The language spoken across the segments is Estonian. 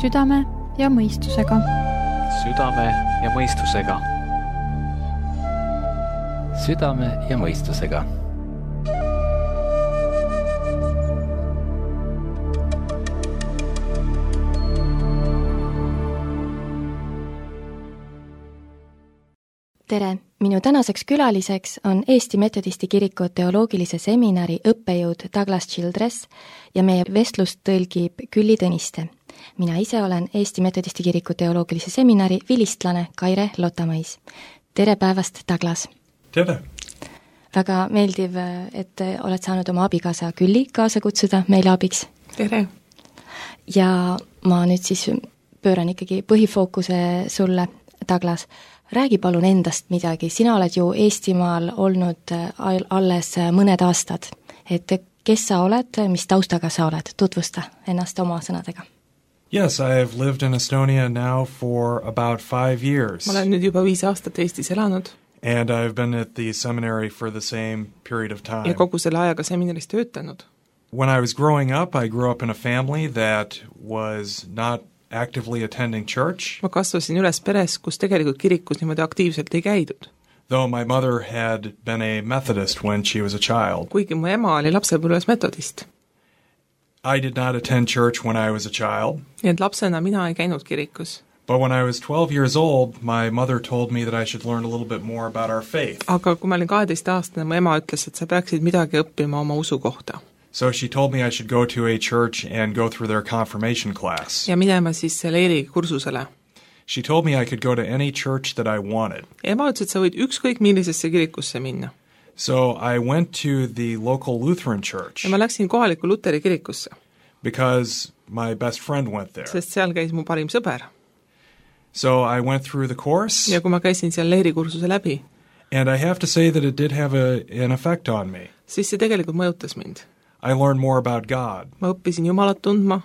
Südame ja mõistusega. Südame ja mõistusega. Südame ja mõistusega. Tere! Minu tänaseks külaliseks on Eesti Metodisti Kiriku teoloogilise seminari õppejõud Douglas Childress ja meie vestlust tõlgib Külli Tõniste. Mina ise olen Eesti Metodisti Kiriku teoloogilise seminari vilistlane Kaire Lotamais. Tere päevast, Douglas! Tere! Väga meeldiv, et oled saanud oma abikaasa Külli kaasa kutsuda meile abiks. Tere! Ja ma nüüd siis pööran ikkagi põhifookuse sulle, Douglas. Räägi palun endast midagi, sina oled ju Eestimaal olnud alles mõned aastad, et kes sa oled, mis taustaga sa oled, tutvusta ennast oma sõnadega. Yes, I have lived in Estonia now for about 5 years. Ma olen nüüd juba 5 aastat Eestis elanud. And I've been at the seminary for the same period of time. Ja kogu selle ajaga seminaris töötanud. When I was growing up, I grew up in a family that was not actively attending church. Ma kasvasin üles peres, kus tegelikult kirikus niimoodi aktiivselt ei käidud. Though my mother had been a Methodist when she was a child. Kuigi mu ema oli lapsepõlves metodist. I did not attend church when I was a child. Nii et lapsena mina ei käinud kirikus. But when I was 12 years old, my mother told me that I should learn a little bit more about our faith. Aga kui ma olin 12-aastane, mu ema ütles, et sa peaksid midagi õppima oma usu kohta. So she told me I should go to a church and go through their confirmation class. Ja minema siis leeri kursusele. She told me I could go to any church that I wanted. Ema ütles, et sa võid ükskõik millisesse kirikusse minna. So I went to the local Lutheran church. Ja ma läksin kohaliku Luteri kirikusse. Because my best friend went there. Sest seal käis mu parim sõber. So I went through the course. Ja kui ma käisin seal leeri kursuse läbi. And I have to say that it did have an effect on me. Siis see tegelikult mõjutas mind. I learned more about God. Ma õppisin Jumalat tundma.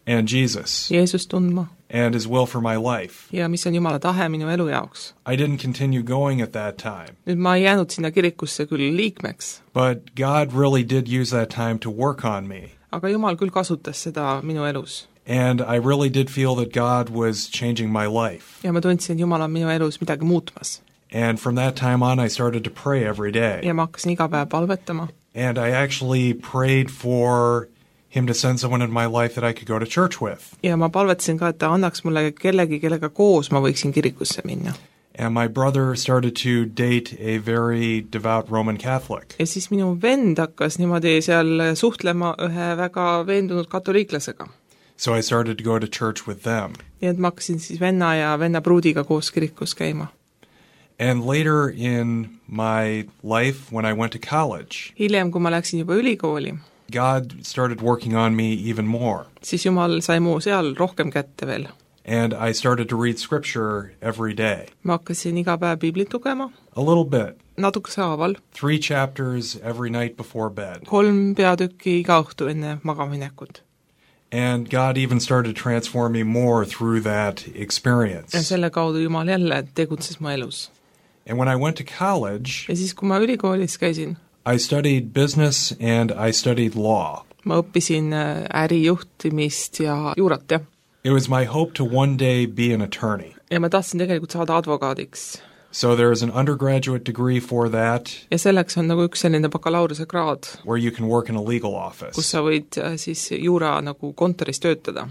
And Jesus. Jeesust tundma. And His will for my life. Ja mis on Jumala tahe minu elu jaoks. I didn't continue going at that time. Nüüd ma ei jäänud sinna kirikusse küll liikmeks. But God really did use that time to work on me. Aga Jumal küll kasutas seda minu elus. And I really did feel that God was changing my life. Ja ma tundsin, et Jumal on minu elus midagi muutmas. And from that time on I started to pray every day. Ja ma hakkasin iga päev palvetama. And I actually prayed for Him to send someone in my life that I could go to church with. Ja ma palvetasin ka, et ta annaks mulle kellegi, kellega koos ma võiksin kirikusse minna. And my brother started to date a very devout Roman Catholic. Ja siis minu vend hakkas niimoodi seal suhtlema ühe väga veendunud katoliiklasega. So I started to go to church with them. Nii et ma hakkasin siis venna ja venna pruudiga koos kirikus käima. And later in my life, when I went to college, hiljem, kui ma läksin juba ülikooli, God started working on me even more. Siis Jumal sai mu seal rohkem kätte veel. And I started to read scripture every day. Ma hakkasin iga päev Biblit lugema. A little bit. Natukese haaval. 3 chapters every night before bed. 3 peatükki iga õhtu enne magaminekut. And God even started to transform me more through that experience. Ja selle kaudu Jumal jälle tegutses mu elus. And when I went to college, ja siis, kui ma ülikoolis käisin, I studied business and I studied law. Ma õppisin ärijuhtimist ja juurat, jah. It was my hope to one day be an attorney. Ja ma tahtsin tegelikult saada advokaadiks. So there is an undergraduate degree for that. Ja selleks on nagu üks selline bakalaureuse kraad. Where you can work in a legal office. Kus sa võid siis juura nagu kontoris töötada.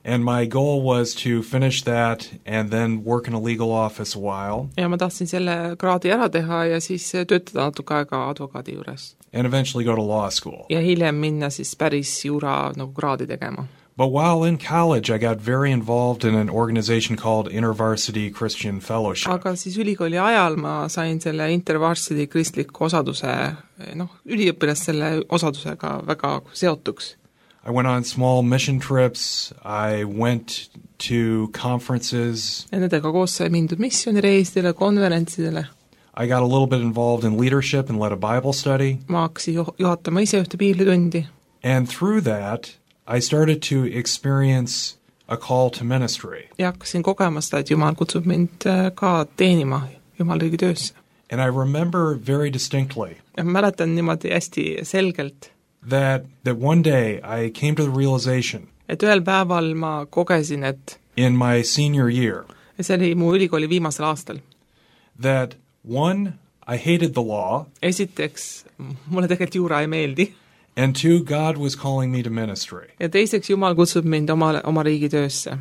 And my goal was to finish that and then work in a legal office a while. Ja ma tahtsin selle kraadi ära teha ja siis töötada natuke aega advokaadi juures. And eventually go to law school. Ja hiljem minna siis päris juura nagu kraadi tegema. But while in college, I got very involved in an organization called InterVarsity Christian Fellowship. Aga siis ülikooli ajal ma sain selle InterVarsity kristliku osaduse, üliõpilast selle osadusega väga seotuks. I went on small mission trips, I went to conferences. Ja nendega koos sai mindud missioonireisidele, konverentsidele. I got a little bit involved in leadership and led a Bible study. Ma hakkasin juhatama ise ühte piiblitundi. And through that, I started to experience a call to ministry. Ja hakkasin kogema seda, et Jumal kutsub mind ka teenima Jumala riigi töösse. And I remember very distinctly. Ja ma mäletan niimoodi hästi selgelt. That one day I came to the realization et ühel päeval ma kogesin, et in my senior year, see oli mu ülikooli viimasel aastal. that one, I hated the law, Esiteks, mulle tegelikult juura ei meeldi. and two, God was calling me to ministry. Ja teiseks, Jumal kutsub mind oma riigi töösse.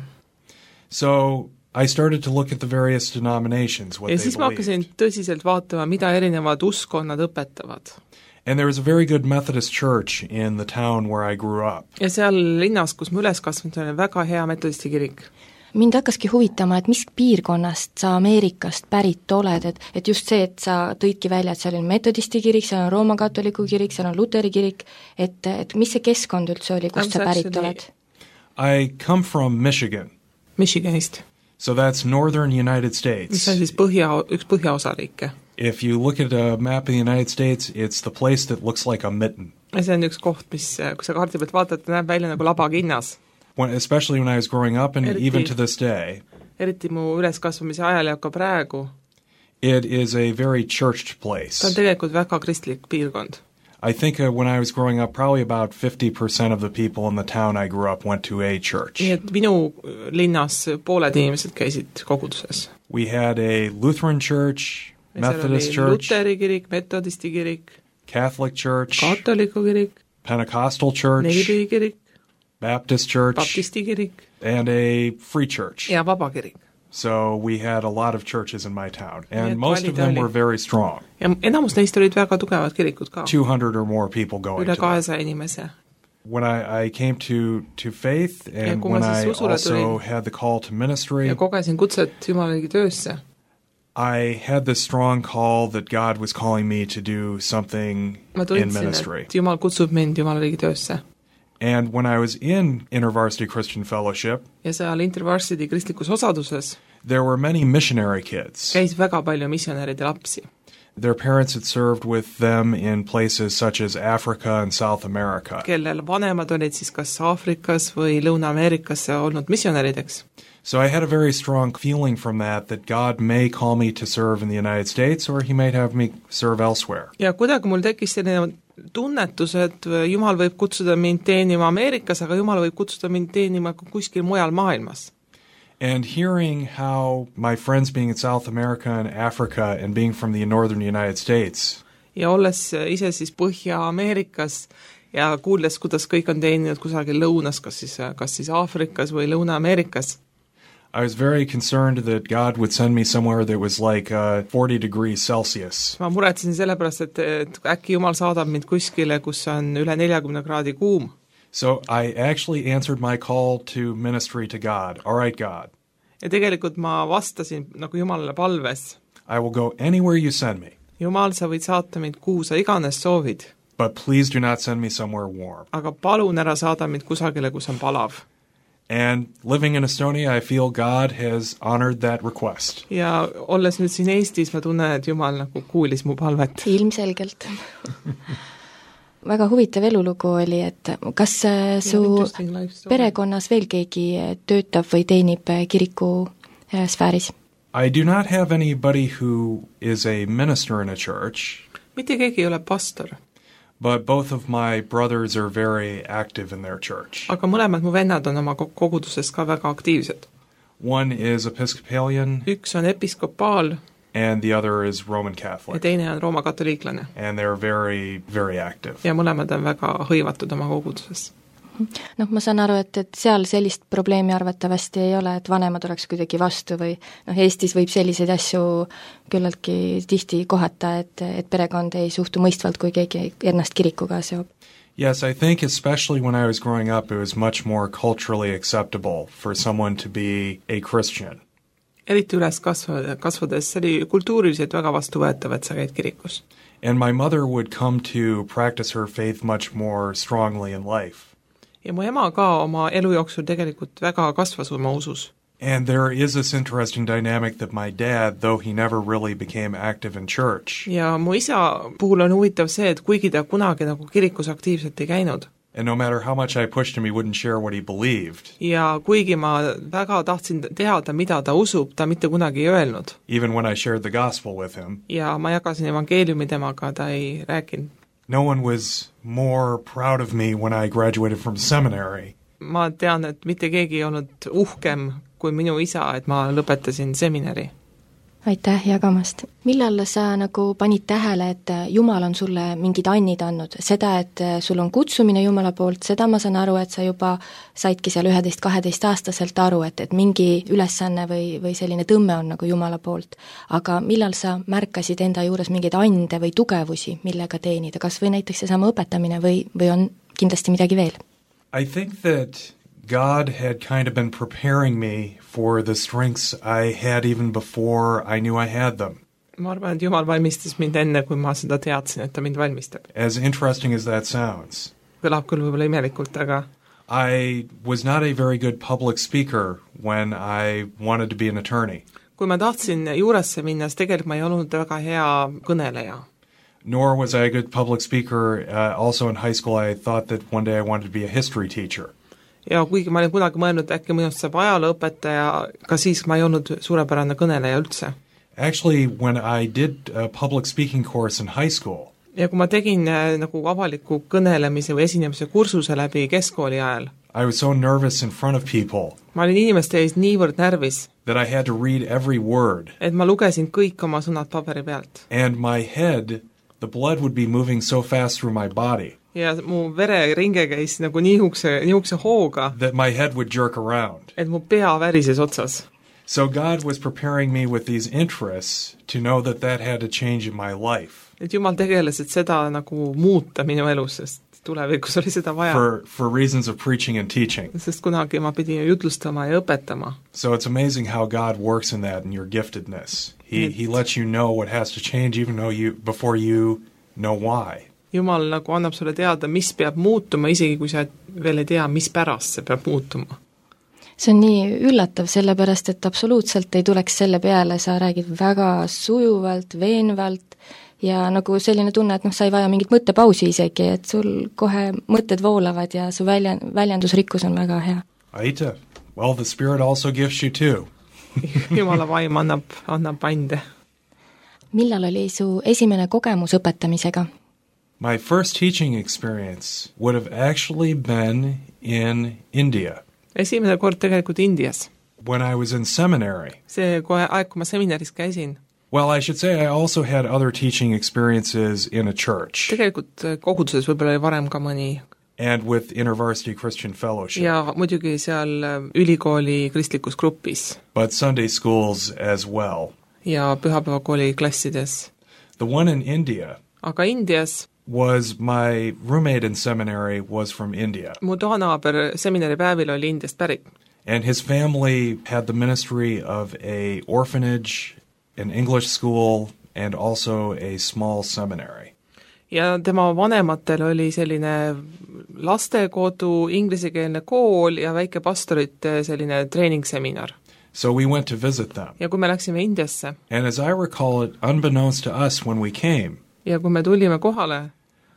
So I started to look at the various denominations, what Ja they siis ma hakkasin believed. tõsiselt vaatama, mida erinevad uskonnad õpetavad. And there was a very good Methodist church in the town where I grew up. Ja seal linnas, kus ma üles kasvanud, oli väga hea metodisti kirik. mind hakkaski huvitama, et mis piirkonnast sa Ameerikast pärit oled, et just see, et sa tõidki välja, et seal on metodisti kirik, seal on Rooma katoliku kirik, seal on Luteri kirik, et mis see keskkond üldse oli, kust sa pärit oled? I come from Michigan. Michiganist. So that's northern United Mis States. on siis üks põhjaosariike. If you look at a map of the United States, it's the place that looks like a mitten. Ja see on üks koht, mis, kui sa kaardi pealt vaatad, näeb välja nagu labakinnas. Especially when I was growing up and Eriti- even to this day, Eriti mu üleskasvamise ajal ja ka praegu. it is a very churched place. Ta on tegelikult väga kristlik piirkond. I think when I was growing up, probably about 50% of the people in the town I grew up went to a church. Nii et minu linnas pooled inimesed käisid koguduses. We had a Lutheran church, Methodist church, Luteri kirik, metodisti kirik, Catholic church, katoliku kirik, Pentecostal church, nelikühi kirik, Baptist church, baptisti kirik and a free church. ja vaba kirik. So we had a lot of churches in my town, Nii et and most of them valida were oli. very strong. Ja enamus neist olid väga tugevad kirikud ka. 200 or more people going Üle to them. 200 inimese. When I came to faith, and kui ma when I siis usule also tulin. had the call to ministry, Ja kogesin kutset Jumalagi töösse. I had this strong call that God was calling me to do something Ma in tundsin, ministry. et Jumal kutsub mind Jumalagi töösse. And when I was in InterVarsity Christian Fellowship, Ja seal InterVarsity kristlikus osaduses there were many missionary kids. käis väga palju missionäride lapsi. Their parents had served with them in places such as Africa and South America. Kellel vanemad olid siis kas Aafrikas või Lõuna-Ameerikas olnud missionärideks. So I had a very strong feeling from that God may call me to serve in the United States or he might have me serve elsewhere. Ja kuidagi mul tekkis selline tunnetus, et Jumal võib kutsuda mind teenima Ameerikas, aga Jumal võib kutsuda mind teenima kuskil mujal maailmas. And hearing how my friends being in South America and Africa and being from the northern United States, Ja olles ise siis Põhja-Ameerikas ja kuuldes, kuidas kõik on teeninud kusagil lõunas, kas siis Aafrikas või Lõuna-Ameerikas, I was very concerned that God would send me somewhere that was like 40 degrees Celsius. ma muretsesin sellepärast, et äkki Jumal saadab mind kuskile, kus on üle 40 kraadi kuum. So I actually answered my call to ministry to God. All right, God, Ja tegelikult ma vastasin nagu Jumalale palves. I will go anywhere you send me, Jumal, sa võid saata mind kuhu sa iganes soovid, but please do not send me somewhere warm. aga palun ära saada mind kusagile, kus on palav. And living in Estonia, I feel God has honored that request. Ja olles nüüd siin Eestis, ma tunnen, et Jumal nagu kuulis mu palvet. Ilmselgelt. Väga huvitav elulugu oli, et kas su perekonnas veel keegi töötab või teenib kiriku sfääris? I do not have anybody who is a minister in a church, Mitte keegi ei ole pastor, but both of my brothers are very active in their church. aga mõlemad mu vennad on oma koguduses ka väga aktiivsed. One is Episcopalian Üks on episkopaal and the other is Roman ja Catholic. teine on Rooma katoliiklane. And they're very, very active. Ja mõlemad on väga hõivatud oma koguduses. Ma saan aru, et seal sellist probleemi arvatavasti ei ole, et vanemad oleks kuidagi vastu või Eestis võib selliseid asju küllaltki tihti kohata, et perekond ei suhtu mõistvalt, kui keegi ennast kirikuga seob. Yes, I think especially when I was growing up, it was much more culturally acceptable for someone to be a Christian. Eriti üles kasvades, see oli kultuuriliselt väga vastuvõetav, et sa käid kirikus. And my mother would come to practice her faith much more strongly in life. Ja mu ema ka oma elu jooksul tegelikult väga kasvas oma usus. And there is this interesting dynamic that my dad, though he never really became active in church, Ja mu isa puhul on huvitav see, et kuigi ta kunagi nagu kirikus aktiivselt ei käinud, and no matter how much I pushed him, he wouldn't share what he believed, ja kuigi ma väga tahtsin teada, mida ta usub, ta mitte kunagi ei öelnud. even when I shared the gospel with him. Ja ma jagasin evangeeliumi temaga, ta ei rääkinud. No one was more proud of me when I graduated from seminary Ma tean, et mitte keegi ei olnud uhkem kui minu isa, et ma lõpetasin seminari. Aitäh jagamast. Millal sa nagu panid tähele, et Jumal on sulle mingid annid andnud? Seda, et sul on kutsumine Jumala poolt, seda ma saan aru, et sa juba saidki seal 11-12 aastaselt aru, et mingi ülesanne või selline tõmme on nagu Jumala poolt. Aga millal sa märkasid enda juures mingeid ande või tugevusi, millega teenida? Kas või näiteks seesama õpetamine või on kindlasti midagi veel? I think that God had kind of been preparing me for the strengths I had even before I knew I had them. Ma arvan, et Jumal valmistas mind enne, kui ma seda teadsin, et ta mind valmistab. As interesting as that sounds. Kõlab küll võib-olla imelikult, aga I was not a very good public speaker when I wanted to be an attorney. Kui ma tahtsin juuresse minna, siis tegelikult ma ei olnud väga hea kõneleja. Nor was I a good public speaker. Also in high school I thought that one day I wanted to be a history teacher. Ja kuigi ma olin kunagi mõelnud, äkki minust saab ajalooõpetaja, ka siis ma ei olnud suurepärane kõneleja üldse. Actually, when I did a public speaking course in high school, ja kui ma tegin nagu avaliku kõnelemise või esinemise kursuse läbi keskkooli ajal, I was so nervous in front of people ma olin inimeste ees niivõrd närvis, that I had to read every word. et ma lugesin kõik oma sõnad paberi pealt. And my head, the blood would be moving so fast through my body. Ja mu vereringe käis nagu nihukse hooga, that my head would jerk around. et mu pea värises otsas. So God was preparing me with these interests to know that that had to change in my life. Et Jumal tegeles, et seda nagu muuta minu elus, sest tulevikus oli seda vaja. For reasons of preaching and teaching. Sest kunagi ma pidin jutlustama ja õpetama. So it's amazing how God works in that, in your giftedness. He lets you know what has to change even though before you know why. Jumal nagu annab sulle teada, mis peab muutuma, isegi kui sa veel ei tea, mis pärast see peab muutuma. See on nii üllatav, sellepärast, et absoluutselt ei tuleks selle peale, sa räägid väga sujuvalt, veenvalt ja nagu selline tunne, et sa ei vaja mingit mõttepausi isegi, et sul kohe mõtted voolavad ja su väljendusrikkus on väga hea. Aita. Well, the Spirit also gives you too. Jumala vaim annab ande. Millal oli su esimene kogemus õpetamisega? My first teaching experience would have actually been in India. Esimene kord tegelikult Indias. When I was in seminary. See aeg, kui ma seminaris käisin. Well, I should say I also had other teaching experiences in a church. Tegelikult koguduses võib-olla oli varem ka mõni. And with InterVarsity Christian Fellowship. Ja muidugi seal ülikooli kristlikus grupis. But Sunday schools as well. Ja pühapäevakooli klassides. The one in India. Aga Indias was my roommate in seminary was from India. Mu toanaaber seminari päevil oli Indiast pärit. And his family had the ministry of a orphanage, an English school, and also a small seminary. Ja tema vanematel oli selline lastekodu, inglisekeelne kool ja väike pastorite selline treeningsseminar. So we went to visit them. Ja kui me läksime Indiasse. And as I recall it, unbeknownst to us when we came, ja kui me tulime kohale,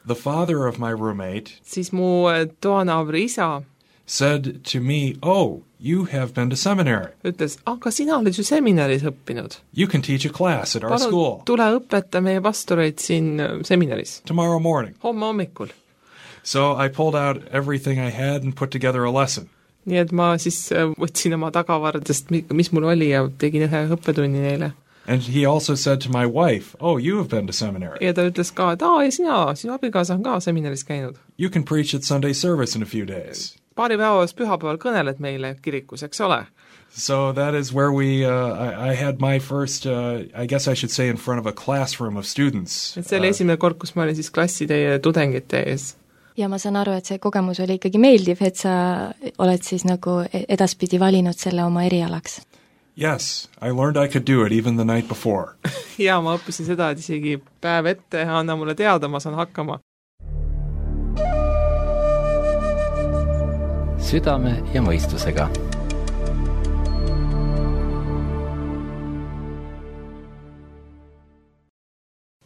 the father of my roommate siis mu toanaabri isa said to me, "Oh, you have been to seminary." Ütles, aga sina oled ju seminaris õppinud. You can teach a class at our school. Tule õpeta meie pastoreid siin seminaris. Tomorrow morning. Homme hommikul. So I pulled out everything I had and put together a lesson. Nii et ma siis võtsin oma tagavardest, mis mul oli ja tegin ühe õppetunni neile. And he also said to my wife, "Oh, you have been to seminary." Ja ta ütles ka, et ja sinu abikaasa on ka seminaris käinud. You can preach at Sunday service in a few days. Paari päevas pühapäeval kõneled meile kirikus, eks ole? So that is where I had my first, I guess I should say, in front of a classroom of students. Et see oli esimene kord, kus ma olin siis klasside ja tudengite ees. Ja ma saan aru, et see kogemus oli ikkagi meeldiv, et sa oled siis nagu edaspidi valinud selle oma erialaks. Yes, I learned I could do it even the night before. Ja ma õppisin seda, et isegi päev ette anna mulle teada, ma saan hakkama. Südame ja mõistusega.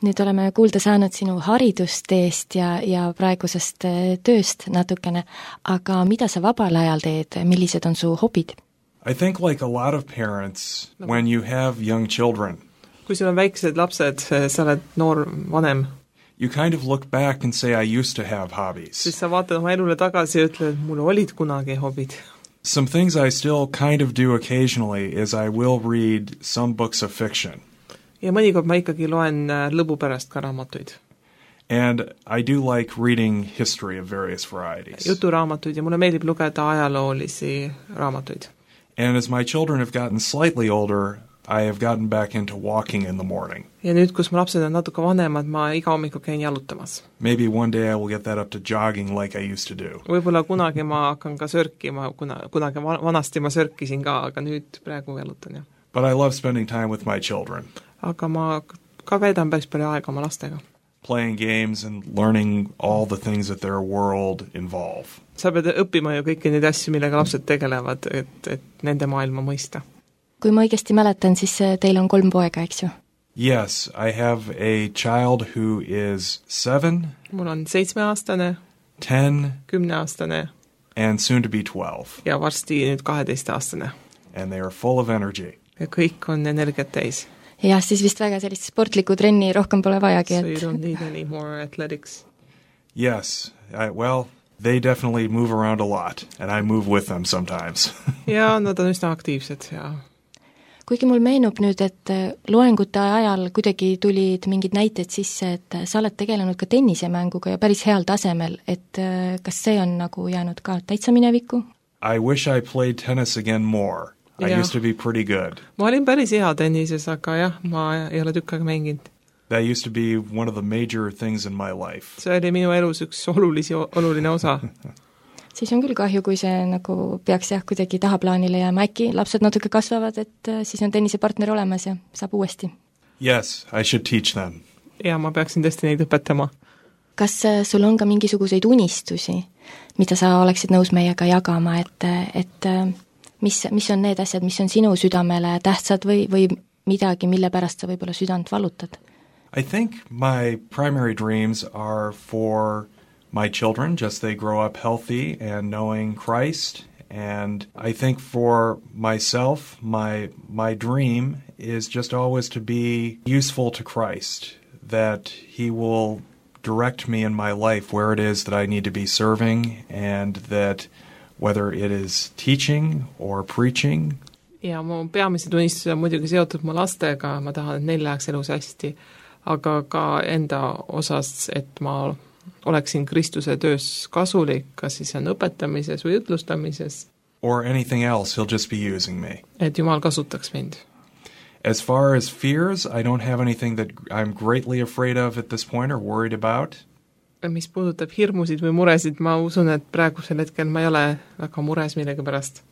Nüüd oleme kuulda saanud sinu haridusteest ja praegusest tööst natukene, aga mida sa vabal ajal teed, millised on su hobid? I think like a lot of parents, when you have young children, kui sul on väiksed lapsed, sa oled noor vanem, you kind of look back and say, I used to have hobbies. siis sa vaatad oma elule tagasi ja ütled, et mul olid kunagi hobid. Some things I still kind of do occasionally is I will read some books of fiction. Ja mõnikord ma ikkagi loen lõbu pärast ka raamatuid. And I do like reading history of various varieties. Juturaamatuid ja mulle meeldib lugeda ajaloolisi raamatuid. And as my children have gotten slightly older, I have gotten back into walking in the morning. Ja nüüd, kus mu lapsed on natuke vanemad, ma iga hommiku käin jalutamas. Maybe one day I will get that up to jogging like I used to do. Võib-olla kunagi ma hakkan ka sörkima, kunagi vanasti ma sörkisin ka, aga nüüd praegu jalutan, jah. But I love spending time with my children. Aga ma ka veedan päris palju aega oma lastega. Playing games and learning all the things that their world involve. Sa pead õppima ju kõiki neid asju, millega lapsed tegelevad, et nende maailma mõista. Kui ma õigesti mäletan, siis teil on 3 poega, eks ju? Yes, I have a child who is 7. Mul on 7-aastane, 10, 10-aastane and soon to be 12. ja varsti nüüd 12-aastane. And they are full of energy. Ja kõik on energiat täis. Jah, siis vist väga sellist sportlikku trenni rohkem pole vajagi, So you don't need any more athletics. Yes, well, they definitely move around a lot, and I move with them sometimes. Ja nad on üsna aktiivsed ja kuigi mul meenub nüüd, et loengute ajal kuidagi tulid mingid näited sisse, et sa oled tegelenud ka tennisemänguga ja päris heal tasemel, et kas see on nagu jäänud ka täitsa minevikku? I wish I played tennis again more. I used to be pretty good. Ma olin päris hea tennises, aga jah, ma ei ole tükk aega mänginud. That used to be one of the major things in my life. See oli minu elus üks oluline osa. Siis on küll kahju, kui see nagu peaks jah kuidagi tahaplaanile jääma. Äkki lapsed natuke kasvavad, et siis on tennisepartner olemas ja saab uuesti. Yes, I should teach them. Ja ma peaksin tõesti neid õpetama. Kas sul on ka mingisuguseid unistusi, mida sa oleksid nõus meiega jagama, et mis on need asjad, mis on sinu südamele tähtsad või midagi, mille pärast sa võib-olla südant valutad? I think my primary dreams are for my children, just they grow up healthy and knowing Christ. And I think for myself, my dream is just always to be useful to Christ, that He will direct me in my life where it is that I need to be serving, and that whether it is teaching or preaching. Ja mu peamised unistused on muidugi seotud mu lastega, ma tahan, et neil läheks elus hästi, aga ka enda osas, et ma oleksin Kristuse töös kasulik, kas siis on õpetamises või ütlustamises. Or anything else, He'll just be using me. Et Jumal kasutaks mind. As far as fears, I don't have anything that I'm greatly afraid of at this point or worried about. Mis puudutab hirmusid või muresid, ma usun, et praegusel hetkel ma ei ole väga mures millegi pärast.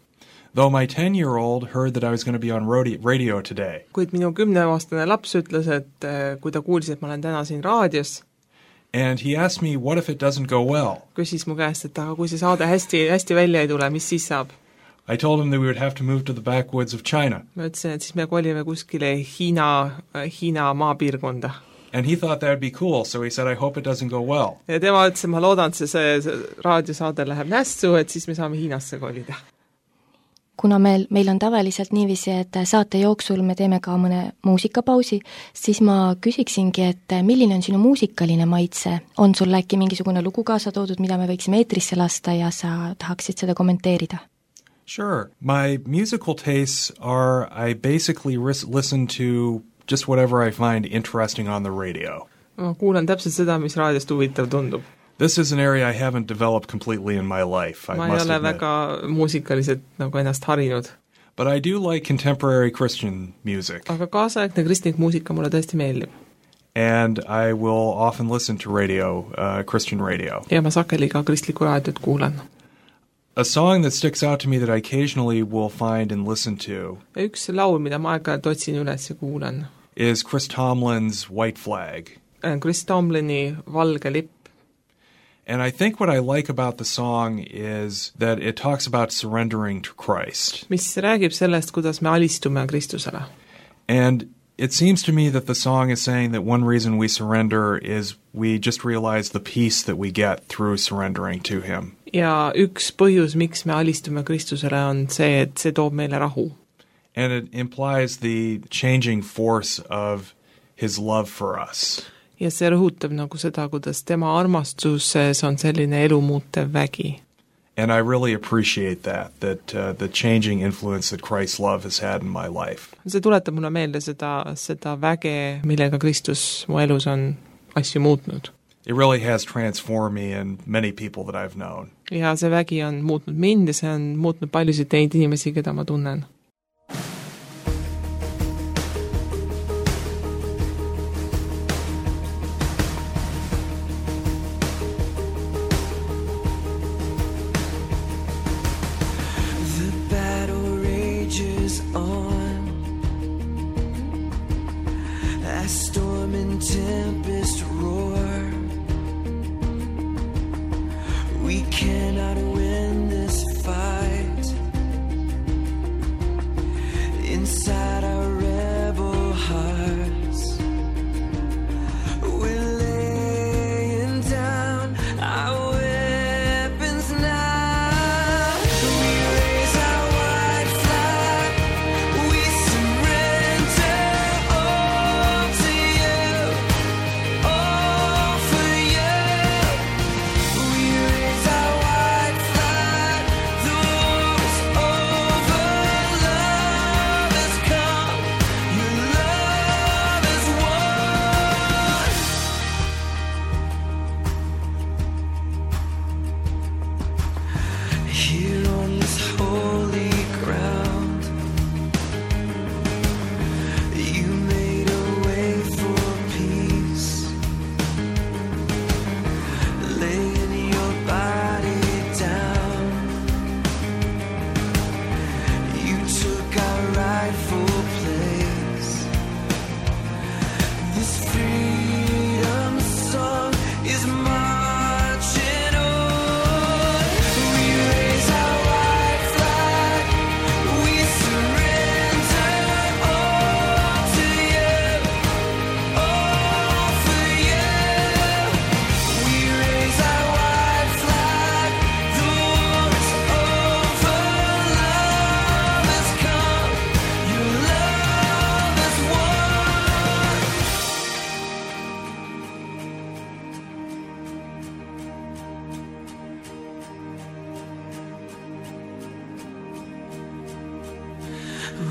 Though my 10-year-old heard that I was going to be on radio today. Kuid minu 10-aastane laps ütles, et kui ta kuulis, et ma olen täna siin raadios, and he asked me, what if it doesn't go well? Küsis mu käest, et aga kui see saade hästi välja ei tule, mis siis saab? I told him that we would have to move to the backwoods of China. Ma ütlesin, et siis me kolime kuskile Hiina maapiirkonda. And he thought that would be cool, so he said, I hope it doesn't go well. Ja tema ütles, ma loodan, et see raadiosaade läheb nässu, et siis me saame Hiinasse kolida. Kuna meil on tavaliselt niiviisi, et saate jooksul me teeme ka mõne muusikapausi, siis ma küsiksingi, et milline on sinu muusikaline maitse? On sul äkki mingisugune lugu kaasa toodud, mida me võiksime eetrisse lasta ja sa tahaksid seda kommenteerida? Sure. My musical tastes are, I basically listen to just whatever I find interesting on the radio. Ma kuulan täpselt seda, mis raadiost huvitav tundub. This is an area I haven't developed completely in my life, I must admit. Ma ei ole väga muusikaliselt nagu ennast harinud. But I do like contemporary Christian music. Aga kaasaegne kristlik muusika mulle tõesti meeldib. And I will often listen to Christian radio. Ja ma sageli ka kristlikku raadiot kuulan. A song that sticks out to me that I occasionally will find and listen to. Üks laul, mida ma aeg-ajalt otsin üles ja kuulan. Is Chris Tomlin's White Flag. Chris Tomlini Valge lipp. And I think what I like about the song is that it talks about surrendering to Christ. Mis räägib sellest, kuidas me alistume Kristusele. And it seems to me that the song is saying that one reason we surrender is we just realize the peace that we get through surrendering to Him. Ja üks põhjus, miks me alistume Kristusele, on see, et see toob meile rahu. And it implies the changing force of His love for us. ja see rõhutab nagu seda, kuidas tema armastuses on selline elumuutev vägi. And I really appreciate that the changing influence that Christ's love has had in my life. See tuletab mulle meelde seda väge, millega Kristus mu elus on asju muutnud. It really has transformed me and many people that I've known. Ja see vägi on muutnud mind ja see on muutnud paljusid neid inimesi, keda ma tunnen.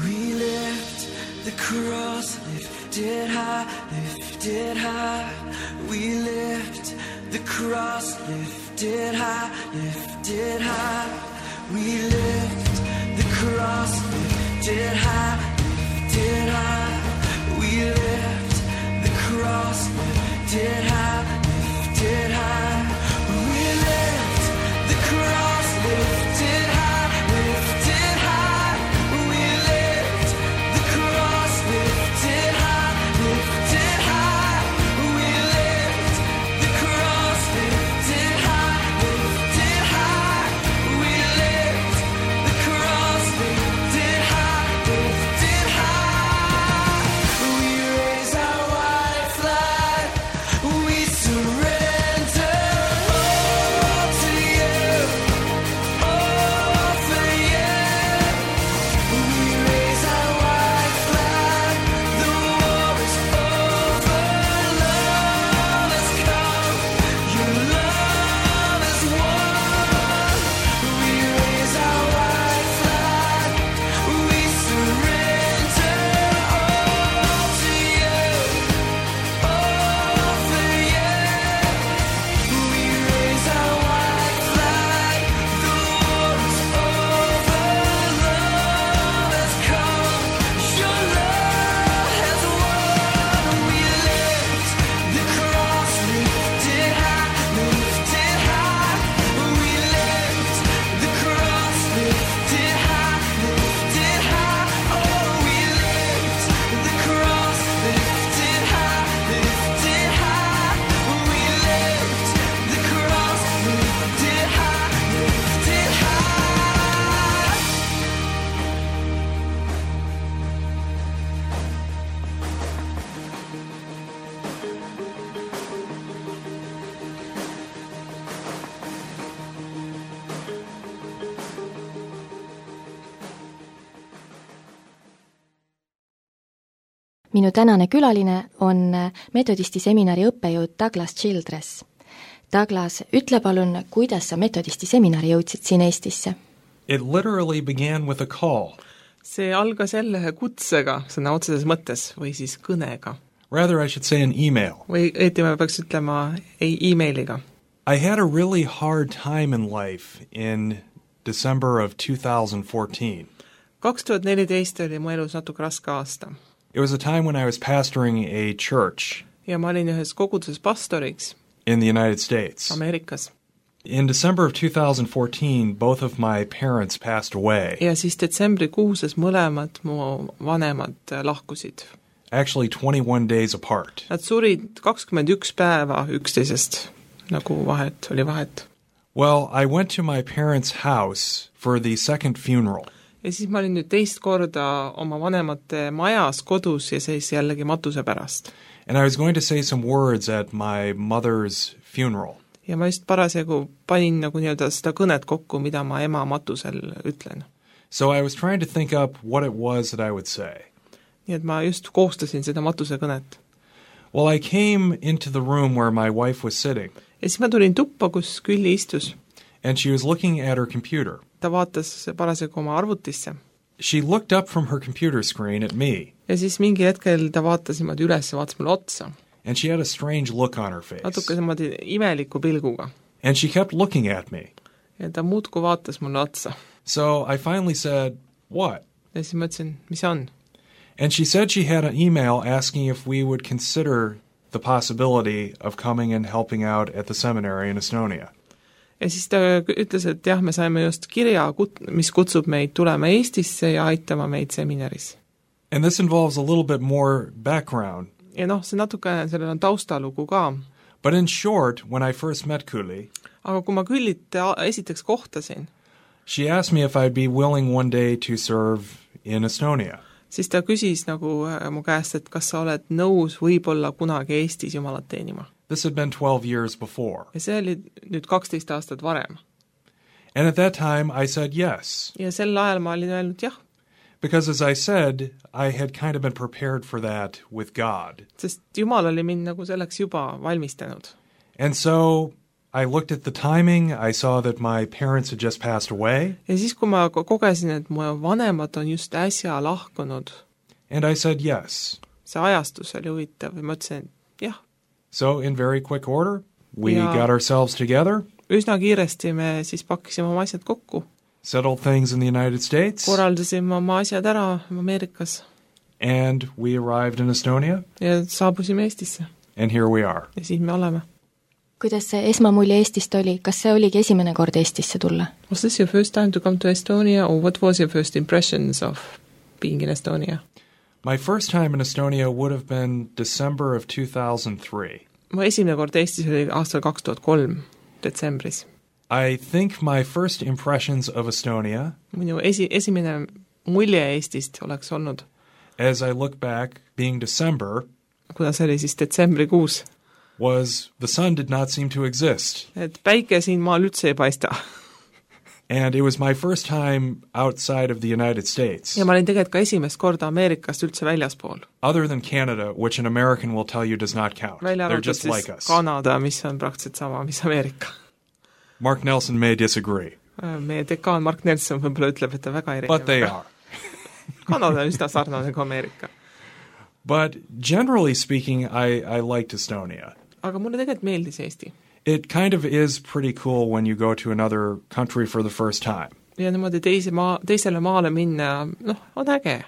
We lift the cross, lifted high, lifted high. We lift the cross, lifted high, lifted high. We lift the cross, lifted high, lifted high. We lift the cross, lifted high, lifted high. We lift the cross, lifted high, lifted high. We lift the cross, lifted high, lifted high. We lift the cross, lifted high, lifted high. We lift the cross, lifted high, lifted high. We Minu tänane külaline on metodisti seminari õppejõud Douglas Childress. Douglas, ütle palun, kuidas sa metodisti seminari jõudsid siin Eestisse? It literally began with a call. See algas jälle kutsega, sõna otseses mõttes, või siis kõnega. Rather, I should say an email. Või õieti ma peaks ütlema e-mailiga. I had a really hard time in life in December of 2014. 2014 oli mu elus natuke raske aasta. It was a time when I was pastoring a church Ja ma olin ühes koguduses pastoriks in the United States. Ameerikas. In December of 2014, both of my parents passed away. Ja siis detsembrikuuses mõlemad mu vanemad lahkusid. Actually 21 days apart. Nad surid 21 päeva üksteisest, nagu oli vahet. Well, I went to my parents' house for the second funeral. Ja siis ma olin nüüd teist korda oma vanemate majas kodus ja siis jällegi matuse pärast. And I was going to say some words at my mother's funeral. Ja ma just parasjagu panin nagu nii-öelda seda kõnet kokku, mida ma ema matusel ütlen. So I was trying to think up what it was that I would say. Nii et ma just koostasin seda matuse kõnet. Well, I came into the room where my wife was sitting. Ja siis ma tulin tuppa, kus Külli istus. And she was looking at her computer. Ta vaatas parasjagu oma arvutisse. She looked up from her computer screen at me. Ja siis mingil hetkel ta vaatas niimoodi üles ja vaatas mulle otsa. And she had a strange look on her face. Natuke niimoodi imeliku pilguga. And she kept looking at me. Ja ta muudku vaatas mulle otsa. So I finally said, what? Ja siis mõtlesin, mis see on? And she said she had an email asking if we would consider the possibility of coming and helping out at the seminary in Estonia. Ja siis ta ütles, et jah, me saime just kirja, mis kutsub meid tulema Eestisse ja aitama meid seminaris. And this involves a little bit more background. Ja see natuke, sellel on taustalugu ka. But in short, when I first met Külli, aga kui ma Küllit esiteks kohtasin, she asked me if I'd be willing one day to serve in Estonia. Siis ta küsis nagu mu käest, et kas sa oled nõus võib-olla kunagi Eestis Jumalat teenima. This had been 12 years before. Ja see oli nüüd 12 aastat varem. And at that time I said yes. Ja sel ajal ma olin öelnud jah. Because as I said, I had kind of been prepared for that with God. Sest Jumal oli mind nagu selleks juba valmistanud. And so I looked at the timing, I saw that my parents had just passed away. Ja siis, kui ma kogesin, et mu vanemad on just äsja lahkunud. And I said yes. See ajastus oli huvitav ja ma ütlesin, jah. So in very quick order, we got ourselves together. Üsna kiiresti me siis pakkisime oma asjad kokku. Settled things in the United States. Koraldasime oma asjad ära Ameerikas. And we arrived in Estonia. Ja saabusime Eestisse. And here we are. Ja siis me oleme. Kuidas see esmamulje Eestist oli? Kas see oligi esimene kord Eestisse tulla? Was this your first time to come to Estonia, or what was your first impressions of being in Estonia? My first time in Estonia would have been December of 2003. Mu esimene kord Eestis oli aastal 2003, detsembris. I think my first impressions of Estonia, minu esimene mulje Eestist oleks olnud, as I look back, being December, kuna see oli siis detsembrikuus, was the sun did not seem to exist. Et päike siin maal üldse ei paista. And it was my first time outside of the United States. Ja ma olin tegelikult ka esimest korda Ameerikast üldse väljaspool. Other than Canada, which an American will tell you does not count. They're just like us. Kanada, mis on praktiliselt sama, mis Ameerika. Mark Nelson may disagree. Meie dekaan Mark Nelson võib-olla ütleb, et ta väga erinev. But they are. Kanada on üsna sarnane kui Ameerika. But generally speaking, I liked Estonia. Aga mulle tegelikult meeldis Eesti. It kind of is pretty cool when you go to another country for the first time. Ja niimoodi teisele maale minna, on äge.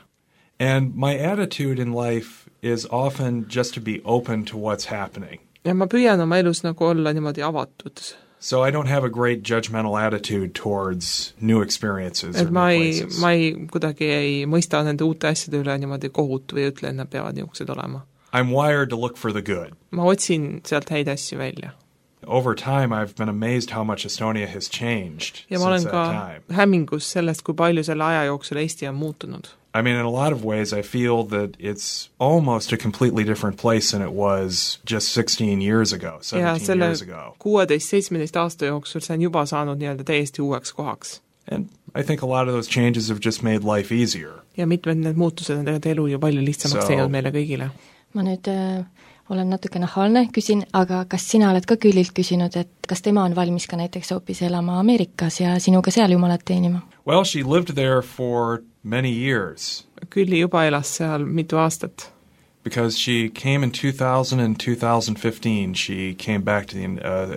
And my attitude in life is often just to be open to what's happening. Ja ma püüan oma elus nagu olla niimoodi avatud. So I don't have a great judgmental attitude towards new experiences or new places. Ma kuidagi ei mõista nende uute asjade üle niimoodi kohut või ütle, et nad peavad niisugused olema. I'm wired to look for the good. Ma otsin sealt häid asju välja. Over time I've been amazed how much Estonia has changed ja ma olen since ka that time. hämmingus sellest, kui palju selle aja jooksul Eesti on muutunud. I mean, in a lot of ways I feel that it's almost a completely different place than it was just 16 years ago, 17 years ago. 16-17 aasta jooksul see on juba saanud nii-öelda täiesti uueks kohaks. And I think a lot of those changes have just made life easier. ja mitmed need muutused on tegelikult elu ju palju lihtsamaks teinud meile kõigile. ma nüüd olen natuke nahaalne, küsin, aga kas sina oled ka Küllilt küsinud, et kas tema on valmis ka näiteks hoopis elama Ameerikas ja sinuga seal Jumalat teenima? Well, she lived there for many years. Külli juba elas seal mitu aastat. Because she came in 2000 and 2015, she came back to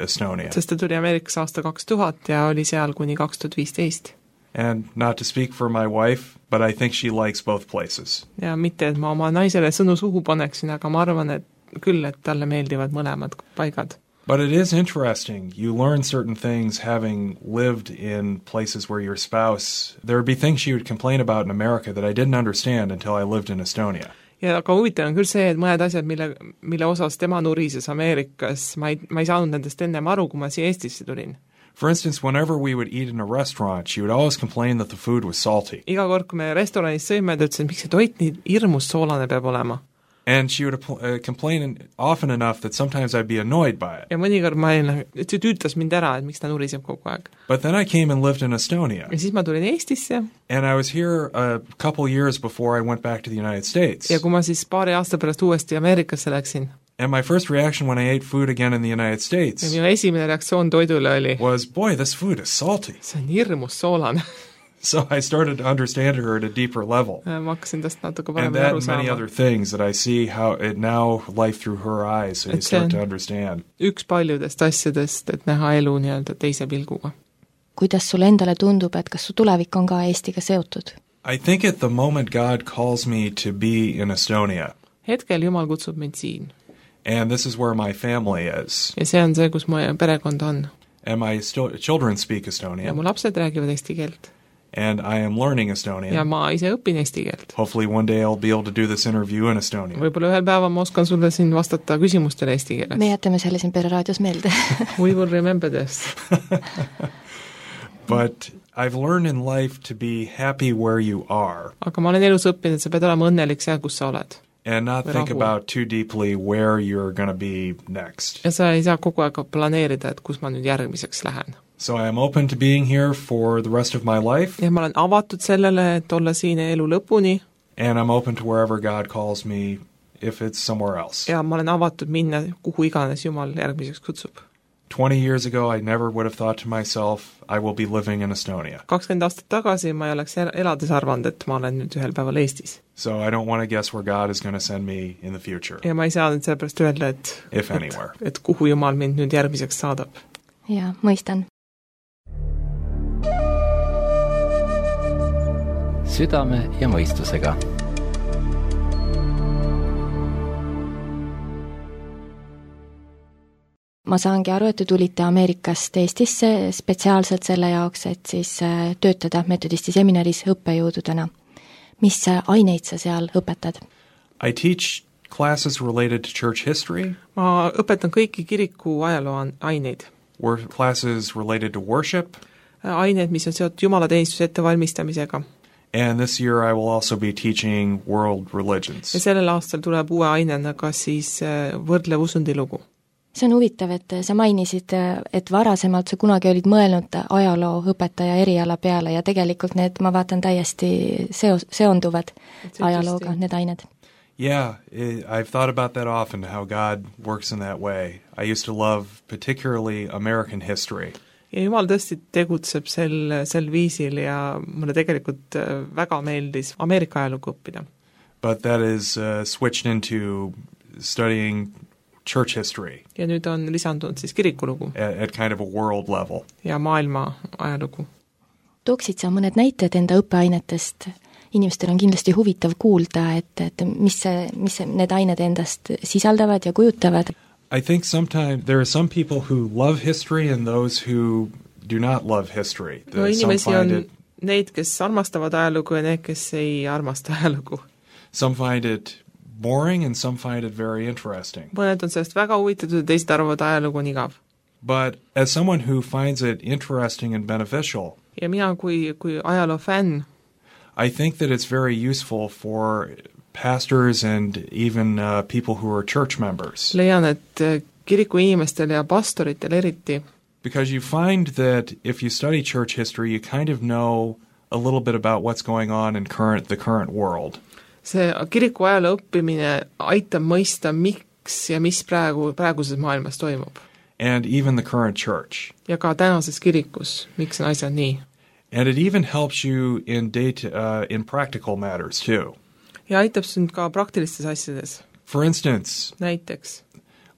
Estonia. Sest ta tuli Ameerikas aasta 2000 ja oli seal kuni 2015. And not to speak for my wife, but I think she likes both places. Ja mitte, et ma oma naisele sõnu suhu paneksin, aga ma arvan, et küll, et talle meeldivad mõlemad paigad. But it is interesting. You learn certain things having lived in places where your spouse... There would be things she would complain about in America that I didn't understand until I lived in Estonia. Ja aga huvitav on küll see, et mõned asjad, mille osas tema nurises Ameerikas, ma ei saanud nendest ennem aru, kui ma siia Eestisse tulin. For instance, whenever we would eat in a restaurant, she would always complain that the food was salty. Iga kord, kui me restoranis sõime, ta ütles, et miks see toit nii hirmus soolane peab olema. And she would complain often enough that sometimes I'd be annoyed by it. Ja mõnikord see tüütas mind ära, et miks ta nuriseb kogu aeg. But then I came and lived in Estonia. Ja siis ma tulin Eestisse. And I was here a couple years before I went back to the United States. Ja kui ma siis paari aasta pärast uuesti Ameerikasse läksin. And my first reaction when I ate food again in the United States ja minu esimene reaktsioon toidule oli was, boy, this food is salty. See on hirmus soolane. So I started to understand her at a deeper level. Ma hakkasin tast natuke paremini aru saama. And that many other things that I see how it now life through her eyes, so you start to understand. Üks paljudest asjadest, et näha elu nii-öelda teise pilguga. Kuidas sulle endale tundub, et kas su tulevik on ka Eestiga seotud? I think at the moment God calls me to be in Estonia. Hetkel Jumal kutsub mind siin. And this is where my family is. Ja see on see, kus mu perekond on. And my children speak Estonian. Ja mu lapsed räägivad eesti keelt. And I am learning Estonian. Ja ma ise õpin eesti keelt. Hopefully one day I'll be able to do this interview in Estonian. Võib-olla ühel päeval ma oskan sulle siin vastata küsimustele eesti keeles. Me jätame selle siin Pere raadios meelde. We will remember this. But I've learned in life to be happy where you are. Aga ma olen elus õppinud, et sa pead olema õnnelik seal, kus sa oled. And not think about too deeply where you're going to be next. Ja sa ei saa kogu aeg planeerida, et kus ma nüüd järgmiseks lähen. So I am open to being here for the rest of my life. Ja ma olen avatud sellele, et olla siin elu lõpuni. And I'm open to wherever God calls me if it's somewhere else. Ja ma olen avatud minna kuhu iganes Jumal järgmiseks kutsub. 20 years ago I never would have thought to myself I will be living in Estonia. 20 aastat tagasi ma ei oleks elades arvanud, et ma olen nüüd ühel päeval Eestis. So I don't want to guess where God is going to send me in the future. Ja ma ei saa nüüd sellepärast öelda, et kuhu Jumal mind nüüd järgmiseks saadab. Ja, mõistan. Südame ja mõistusega. Ma saangi aru, et te tulite Ameerikast Eestisse spetsiaalselt selle jaoks, et siis töötada metodisti seminaris õppejõududena. Mis aineid sa seal õpetad? I teach classes related to church history. Ma õpetan kõiki kiriku ajaloo aineid. Classes related to worship. Aineid, mis on seotud jumalateenistuse ettevalmistamisega. And this year I will also be teaching world religions. Ja sellel aastal tuleb uue ainena ka siis võrdlev usundilugu. See on huvitav, et sa mainisid, et varasemalt sa kunagi olid mõelnud ajaloo õpetaja eriala peale ja tegelikult need, ma vaatan, täiesti seonduvad ajalooga, need ained. Yeah, I've thought about that often, how God works in that way. I used to love particularly American history. Ja Jumal tõesti tegutseb sel viisil ja mulle tegelikult väga meeldis Ameerika ajalugu õppida. But that is switched into studying church history. Ja nüüd on lisandunud siis kirikulugu. At kind of a world level. Ja maailma ajalugu. Tooksid sa mõned näited enda õppeainetest? Inimestel on kindlasti huvitav kuulda, et mis need ained endast sisaldavad ja kujutavad. I think sometimes there are some people who love history and those who do not love history. No inimesi on neid, kes armastavad ajalugu ja need, kes ei armasta ajalugu. Some find it boring and some find it very interesting. Mõned on sellest väga huvitatud ja teised arvavad ajalugu on igav. But as someone who finds it interesting and beneficial, ja mina kui ajaloo fänn, I think that it's very useful for pastors and even people who are church members. Leian, et kiriku inimestel ja pastoritel eriti. Because you find that if you study church history, you kind of know a little bit about what's going on in the current world. See kiriku ajaloo õppimine aitab mõista, miks ja mis praeguses maailmas toimub. And even the current church. Ja ka tänases kirikus, miks on asjad nii. And it even helps you in practical matters too. Ja aitab sind ka praktilistes asjades. For instance, näiteks,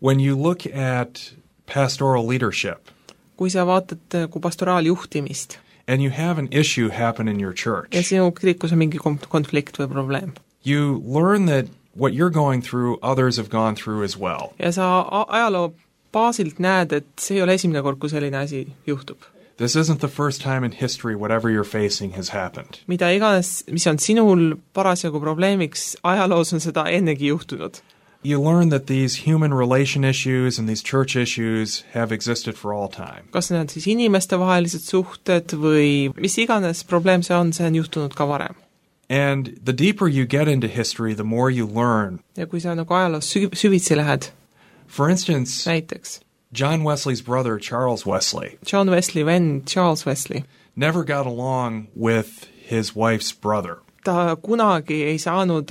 when you look at pastoral leadership, kui sa vaatad kui pastoraaljuhtimist, and you have an issue happen in your church, ja sinu kirikus on mingi konflikt või probleem, you learn that what you're going through, others have gone through as well. Ja sa ajaloo baasilt näed, et see ei ole esimene kord, kui selline asi juhtub. This isn't the first time in history whatever you're facing has happened. Mida iganes, mis on sinul parasjagu probleemiks, ajaloos on seda ennegi juhtunud. You learn that these human relation issues and these church issues have existed for all time. Kas need on siis inimeste vahelised suhted või mis iganes probleem see on juhtunud ka varem. And the deeper you get into history, the more you learn. Ja kui sa nagu ajaloos süvitsi lähed, for instance, näiteks, John Wesley's brother, Charles Wesley, John Wesley vend Charles Wesley, never got along with his wife's brother. Ta kunagi ei saanud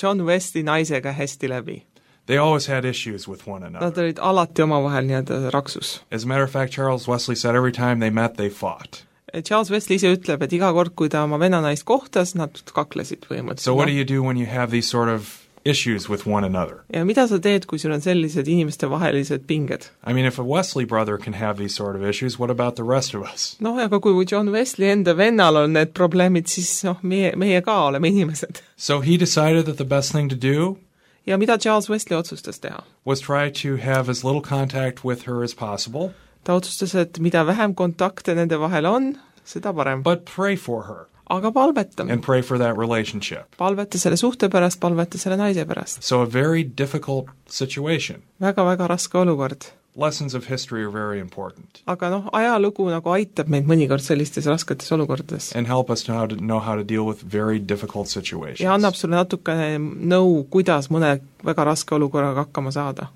John Wesley naisega hästi läbi. They always had issues with one another. Nad olid alati omavahel nii-öelda raksus. As a matter of fact, Charles Wesley said every time they met, they fought. Charles Wesley ise ütleb, et iga kord, kui ta oma venna naist kohtas, nad kaklesid põhimõtteliselt. So what do you do when you have these sort of issues with one another? Ja mida sa teed, kui sul on sellised inimeste vahelised pinged? I mean, if a Wesley brother can have these sort of issues, what about the rest of us? No, aga kui John Wesley enda vennal on need probleemid, siis meie ka oleme inimesed. So he decided that the best thing to do ja mida Charles Wesley otsustas teha? Was try to have as little contact with her as possible. Ta otsustas, et mida vähem kontakte nende vahel on, seda parem. But pray for her. Aga palveta. And pray for that relationship. Palveta selle suhte pärast, palveta selle naise pärast. So a very difficult situation. Väga raske olukord. Lessons of history are very important. Aga ajalugu nagu aitab meid mõnikord sellistes rasketes olukordades. And help us know how to deal with very difficult situations. Ja annab sulle natukene nõu, kuidas mõne väga raske olukorraga hakkama saada.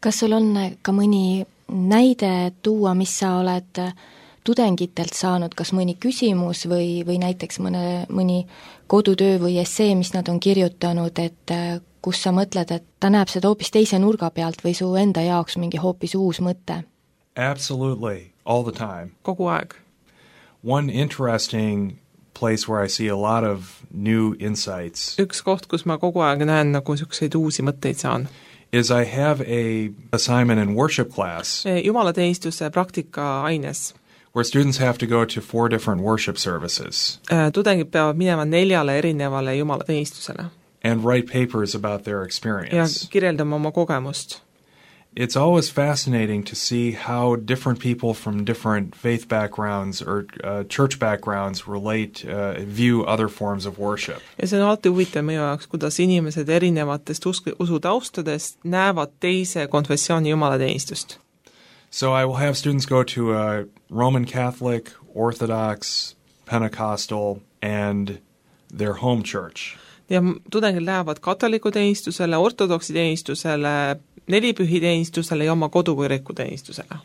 Kas sul on ka mõni näide tuua, mis sa oled tudengitelt saanud, kas mõni küsimus või näiteks mõni kodutöö või essee, mis nad on kirjutanud, et kus sa mõtled, et ta näeb seda hoopis teise nurga pealt või su enda jaoks mingi hoopis uus mõte? Absolutely, all the time. Kogu aeg. One interesting place where I see a lot of new insights. Üks koht, kus ma kogu aeg näen nagu selliseid uusi mõtteid saan. Is I have a assignment in worship class. Jumalateenistuse praktika aines. Where students have to go to 4 different worship services. Tudengid peavad minema 4 erinevale jumalateenistusele. And write papers about their experience. Ja kirjeldama oma kogemust. It's always fascinating to see how different people from different faith backgrounds or church backgrounds view other forms of worship. Ja see on alati huvitav meie jaoks, kuidas inimesed erinevatest usutaustadest näevad teise konfessiooni jumalateenistust. So I will have students go to a Roman Catholic, Orthodox, Pentecostal, and their home church. Ja tudengid lähevad katoliku teenistusele, ortodoksi teenistusele, nelipühiteenistusele ja oma kodukiriku teenistusele.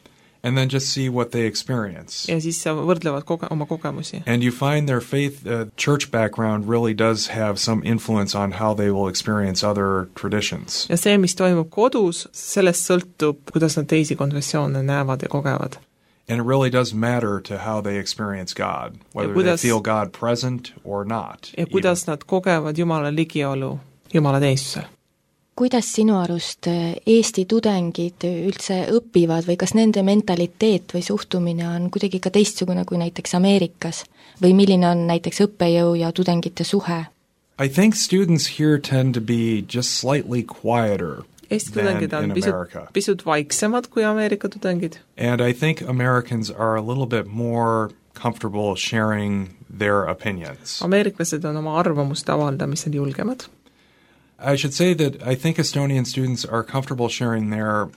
And then just see what they experience. Ja siis sa võrdlevad oma kogemusi. And you find their faith, church background really does have some influence on how they will experience other traditions. Ja see, mis toimub kodus, sellest sõltub, kuidas nad teisi konfessioone näevad ja kogevad. And it really does matter to how they experience God, whether they feel God present or not. Ja kuidas nad kogevad Jumala ligiolu jumalateenistusel. Kuidas sinu arust Eesti tudengid üldse õpivad või kas nende mentaliteet või suhtumine on kuidagi ka teistsugune kui näiteks Ameerikas? Või milline on näiteks õppejõu ja tudengite suhe? I think students here tend to be just slightly quieter Eesti than tudengid on in America. pisut vaiksemad kui Ameerika tudengid. And I think Americans are a little bit more comfortable sharing their opinions. Ameeriklased on oma arvamust avaldamisel julgemad. I should say that I think Estonian students are comfortable sharing their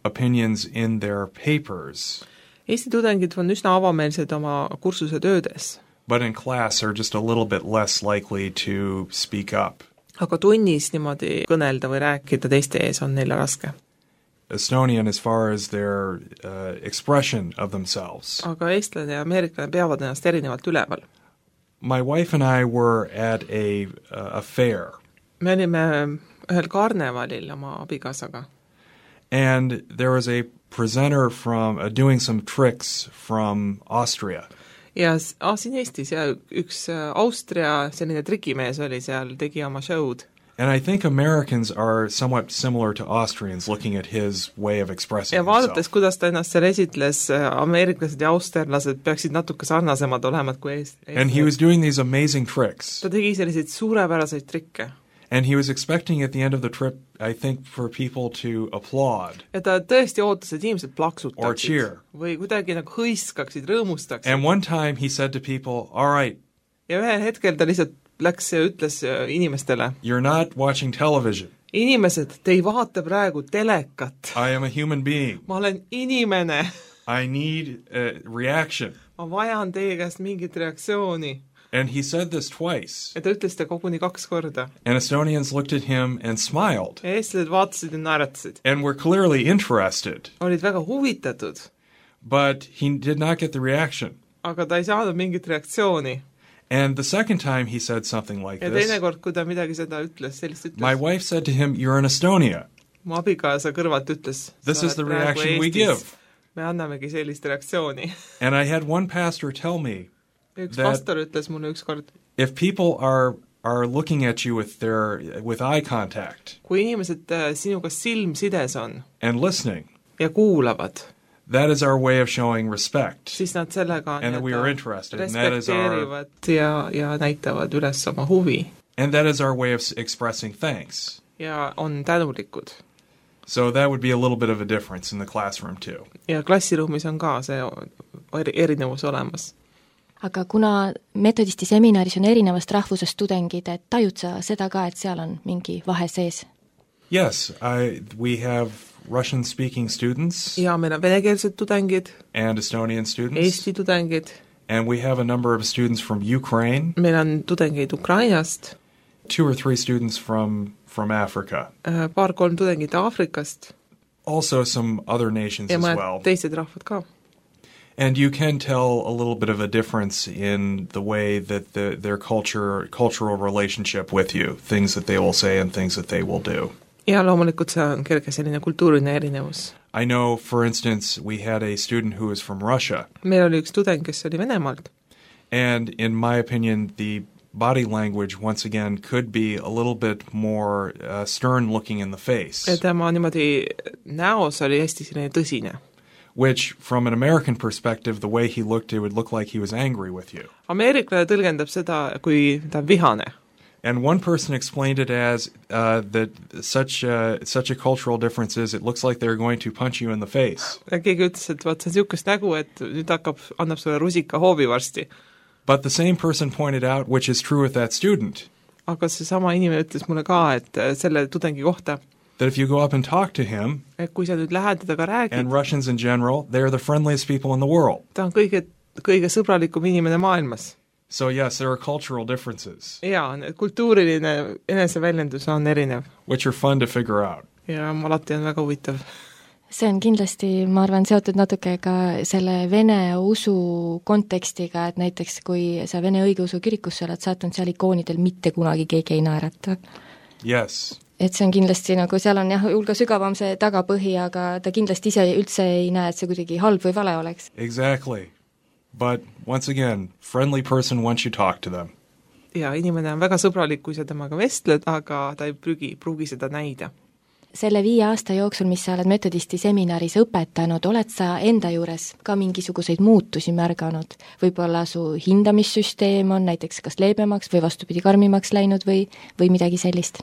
opinions in their papers. Eesti tudengid on üsna avameelsed oma kursuse töödes. But in class are just a little bit less likely to speak up. Aga tunnis niimoodi kõnelda või rääkida teiste ees on neile raske. Estonian as far as their expression of themselves. Aga eestlane ja ameeriklane peavad ennast erinevalt üleval. My wife and I were at a fair. Me olime ühel karnevalil oma abikaasaga. And there was a presenter from doing some tricks from Austria. Ja siin Eestis ja üks Austria selline trikimees oli seal, tegi oma show'd. And I think Americans are somewhat similar to Austrians looking at his way of expressing ja vaadates, himself. kuidas ta ennast seal esitles, ameeriklased ja austerlased peaksid natuke sarnasemad olema kui And he was doing these amazing tricks. Ta tegi selliseid suurepäraseid trikke. And he was expecting at the end of the trip, I think, for people to applaud. Ja ta tõesti ootas, et inimesed Or plaksutaksid. cheer. Või kuidagi nagu hõiskaksid, rõõmustaksid. And one time he said to people, all right, Ja ühel hetkel ta lihtsalt läks ja ütles inimestele, you're not watching television. inimesed, te ei vaata praegu telekat. I am a human being. Ma olen inimene. I need a reaction. Ma vajan teie käest mingit reaktsiooni. And he said this twice. Ja ta ütles ta koguni 2 korda. And Estonians looked at him and smiled. Ja eestlased vaatasid ja naeratasid. And were clearly interested. Olid väga huvitatud. But he did not get the reaction. Aga ta ei saanud mingit reaktsiooni. And the second time he said something like Ja this, teine kord, kui ta midagi seda ütles, sellist ütles. my wife said to him, you're in Estonia. Mu abikaasa kõrvalt ütles, This is the praegu reaction we Eestis. give. Me annamegi sellist reaktsiooni. And I had one pastor tell me, Üks That- pastor ütles mulle ükskord, if people are looking at you with eye contact kui inimesed sinuga silmsides on and listening, ja kuulavad, that is our way of showing respect. siis nad sellega And that we are interested, and that is our- respekteerivad ja näitavad üles oma huvi And that is our way of expressing thanks. ja on tänulikud. So that would be a little bit of a difference in the classroom too. Ja klassiruumis on ka see erinevus olemas. aga kuna metodisti seminaris on erinevast rahvusest tudengid, et tajud sa seda ka, et seal on mingi vahe sees? Yes, we have Russian-speaking students Ja meil on venekeelsed tudengid, and Estonian students, Eesti tudengid, and we have a number of students from Ukraine, meil on tudengeid Ukrainast, 2 or 3 students from Africa, 2-3 tudengit Aafrikast also some other nations ja as mõned well. teised rahvad ka. And you can tell a little bit of a difference in the way that their cultural relationship with you, things that they will say and things that they will do. Ja loomulikult see on kerge selline kultuuriline erinevus. I know, for instance, we had a student who was from Russia, Meil oli üks tudeng, kes oli Venemaalt and in my opinion, the body language, once again, could be a little bit more stern looking in the face, ja tema niimoodi näos oli hästi selline tõsine. which, from an American perspective, the way he looked, it would look like he was angry with you. Ameeriklane tõlgendab seda, kui ta on vihane. And one person explained it as that such a cultural difference is it looks like they're going to punch you in the face. Ja keegi ütles, et vaat see on niisugust nägu, et nüüd annab sulle rusika hoovi varsti. But the same person pointed out, which is true with that student, Aga seesama inimene ütles mulle ka, et selle tudengi kohta, that if you go up and talk to him, et kui sa nüüd lähed temaga räägid, and Russians in general, they're the friendliest people in the world. ta on kõige sõbralikum inimene maailmas. So yes, there are cultural differences, Jaa, kultuuriline eneseväljendus on erinev which are fun to figure out. ja alati on väga huvitav. see on kindlasti, ma arvan, seotud natuke ka selle vene usu kontekstiga, et näiteks kui sa vene õigeusu kirikusse oled sattunud, seal ikoonidel mitte kunagi keegi ei naerata. Yes. Et see on kindlasti nagu, seal on jah, hulga sügavam see tagapõhi, aga ta kindlasti ise üldse ei näe, et see kuidagi halb või vale oleks. Exactly. But once again, friendly person once you talk to them. Ja inimene on väga sõbralik, kui sa temaga vestled, aga ta ei pruugi seda näida. Selle 5 aasta jooksul, mis sa oled metodisti seminaris õpetanud, oled sa enda juures ka mingisuguseid muutusi märganud? Võib-olla su hindamissüsteem on näiteks kas leebemaks või vastupidi karmimaks läinud või midagi sellist?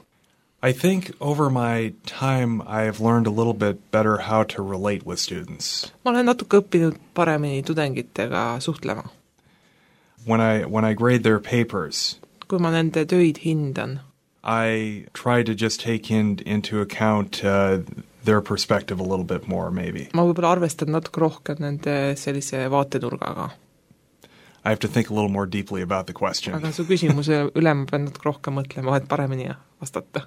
I think over my time I have learned a little bit better how to relate with students. Ma olen natuke õppinud paremini tudengitega suhtlema. When I grade their papers, Kui ma nende töid hindan, I try to just take into account their perspective a little bit more, maybe. ma võib-olla arvestan natuke rohkem nende sellise vaatenurgaga. I have to think a little more deeply about the question. Aga su küsimuse üle ma pean natuke rohkem mõtlema, et paremini vastata.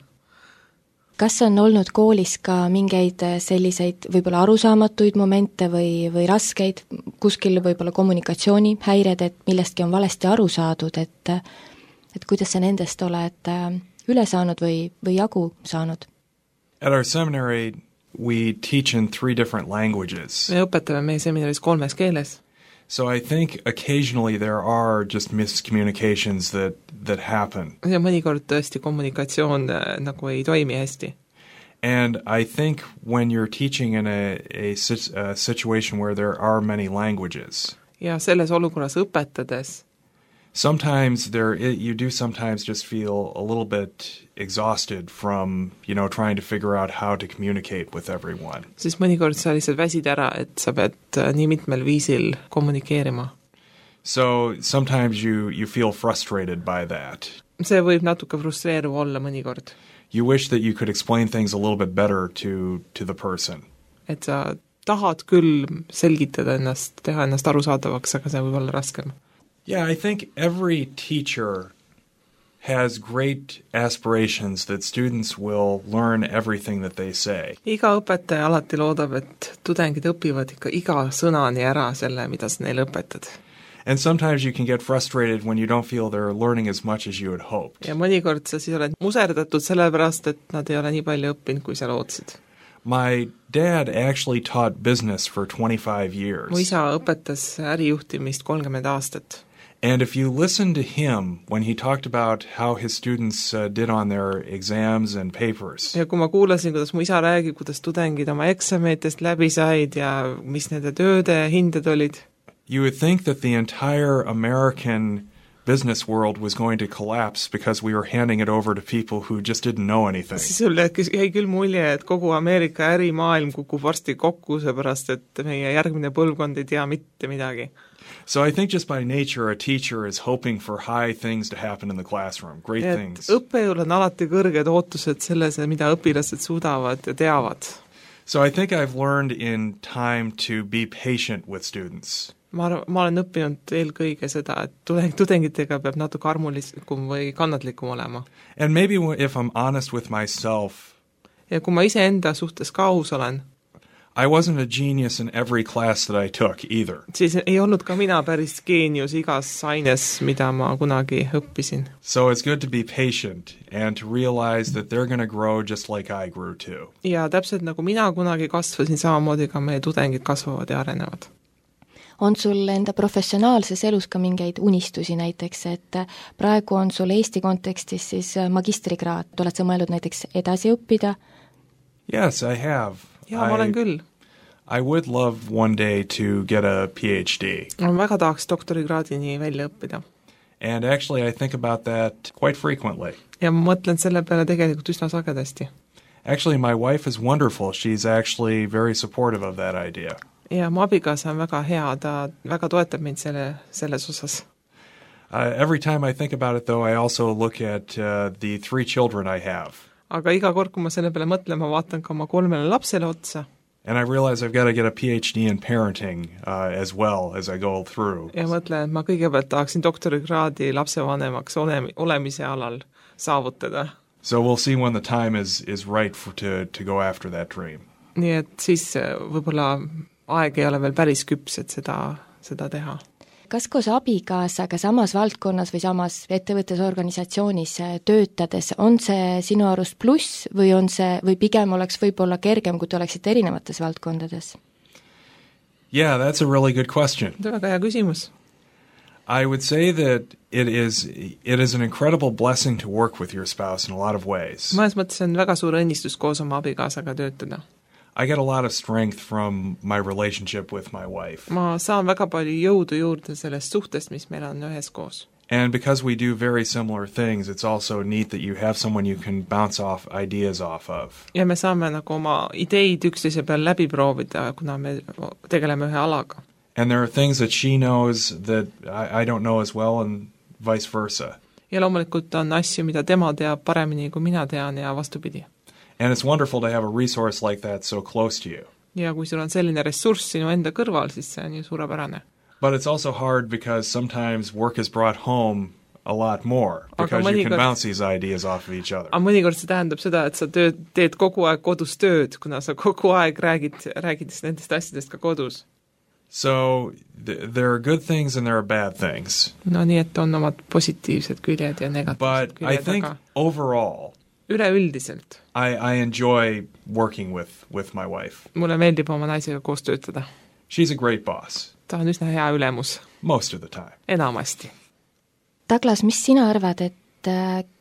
kas on olnud koolis ka mingeid selliseid võib-olla arusaamatuid momente või raskeid, kuskil võib-olla kommunikatsioonihäired, et millestki on valesti aru saadud, et kuidas sa nendest oled üle saanud või jagu saanud? At our seminary, we teach in 3 different languages. Me õpetame meie seminaris 3 keeles. So I think occasionally there are just miscommunications that happen. Ja mõnikord tõesti kommunikatsioon nagu ei toimi hästi. And I think when you're teaching in a situation where there are many languages, ja selles olukorras õpetades sometimes you do sometimes just feel a little bit exhausted from, trying to figure out how to communicate with everyone. Siis mõnikord sa lihtsalt väsid ära, et sa pead nii mitmel viisil kommunikeerima. So sometimes you feel frustrated by that. See võib natuke frustreeruv olla mõnikord. You wish that you could explain things a little bit better to the person. Et sa tahad küll selgitada ennast, teha ennast arusaadavaks, aga see võib olla raskem. Yeah, I think every teacher has great aspirations that students will learn everything that they say. Iga õpetaja alati loodab, et tudengid õpivad ikka iga sõnani ära selle, mida sa neile õpetad. And sometimes you can get frustrated when you don't feel they're learning as much as you had hoped. Ja mõnikord sa siis oled muserdatud sellepärast, et nad ei ole nii palju õppinud, kui sa lootsid. My dad actually taught business for 25 years. Mu isa õpetas ärijuhtimist 30 aastat. And if you listen to him when he talked about how his students did on their exams and papers. Ja kui ma kuulasin, kuidas mu isa räägib, kuidas tudengid oma eksamitest läbi said ja mis nende tööde hinded olid. You would think that the entire American business world was going to collapse because we were handing it over to people who just didn't know anything. Siis jäi küll mulje, et kogu Ameerika ärimaailm kukub varsti kokku, seepärast et meie järgmine põlvkond ei tea mitte midagi. So I think just by nature a teacher is hoping for high things to happen in the classroom, great things. Õppejõul on alati kõrged ootused selles, mida õpilased suudavad ja teavad. So I think I've learned in time to be patient with students. Ma olen õppinud eelkõige seda, et tudengitega peab natuke armulikum või kannatlikum olema. And maybe if I'm honest with myself, ja kui ma iseenda suhtes ka aus olen, I wasn't a genius in every class that I took either. Siis ei olnud ka mina päris geenius igas aines, mida ma kunagi õppisin. So it's good to be patient and to realize that they're going to grow just like I grew too. Ja täpselt nagu mina kunagi kasvasin, samamoodi ka meie tudengid kasvavad ja arenevad. On sul enda professionaalses elus ka mingeid unistusi näiteks, et praegu on sul Eesti kontekstis siis magistrikraad, oled sa mõelnud näiteks edasi õppida? Yes, I have. Ja, ma olen küll. I would love one day to get a PhD. Ma väga tahaks doktorikraadini välja õppida. And actually I think about that quite frequently. Ja ma mõtlen selle peale tegelikult üsna sagedasti. Actually, my wife is wonderful. She's actually very supportive of that idea. Ja mu abikaasa on väga hea, ta väga toetab mind selles osas. Every time I think about it, though, I also look at the 3 children I have. Aga iga kord, kui ma selle peale mõtlen, ma vaatan ka oma 3 lapsele otsa. And I realize I've got to get a PhD in parenting as well as I go through. Ja mõtlen, et ma kõigepealt tahaksin doktorikraadi lapsevanemaks olemise alal saavutada. So we'll see when the time is right to go after that dream. Nii et siis võib-olla aeg ei ole veel päris küps, et seda teha. Kas koos abikaasaga samas valdkonnas või samas ettevõttes organisatsioonis töötades on see sinu arust pluss või pigem oleks võib-olla kergem, kui te oleksite erinevates valdkondades? Yeah, that's a really good question. See on väga hea küsimus. I would say that it is an incredible blessing to work with your spouse in a lot of ways. Mõnes mõttes on väga suur õnnistus koos oma abikaasaga töötada. I get a lot of strength from my relationship with my wife. Ma saan väga palju jõudu juurde sellest suhtest, mis meil on üheskoos. And because we do very similar things, it's also neat that you have someone you can bounce off ideas off of. Ja me saame nagu oma ideid üksteise peal läbi proovida, kuna me tegeleme ühe alaga. And there are things that she knows that I don't know as well and vice versa. Ja loomulikult on asju, mida tema teab paremini kui mina tean ja vastupidi. And it's wonderful to have a resource like that so close to you. Ja kui sul on selline ressurss sinu enda kõrval, siis see on ju suurepärane. But it's also hard because sometimes work is brought home a lot more because you can bounce these ideas off of each other. Aga mõnikord see tähendab seda, et sa teed kogu aeg kodus tööd, kuna sa kogu aeg räägid nendest asjadest ka kodus. So there are good things and there are bad things. No nii, et on omad positiivsed küljed ja negatiivsed küljed. But I think overall, üleüldiselt I enjoy working with my wife. Mulle meeldib oma naisega koos töötada. She's a great boss. Ta on üsna hea ülemus. Most of the time. Enamasti. Douglas, mis sina arvad, et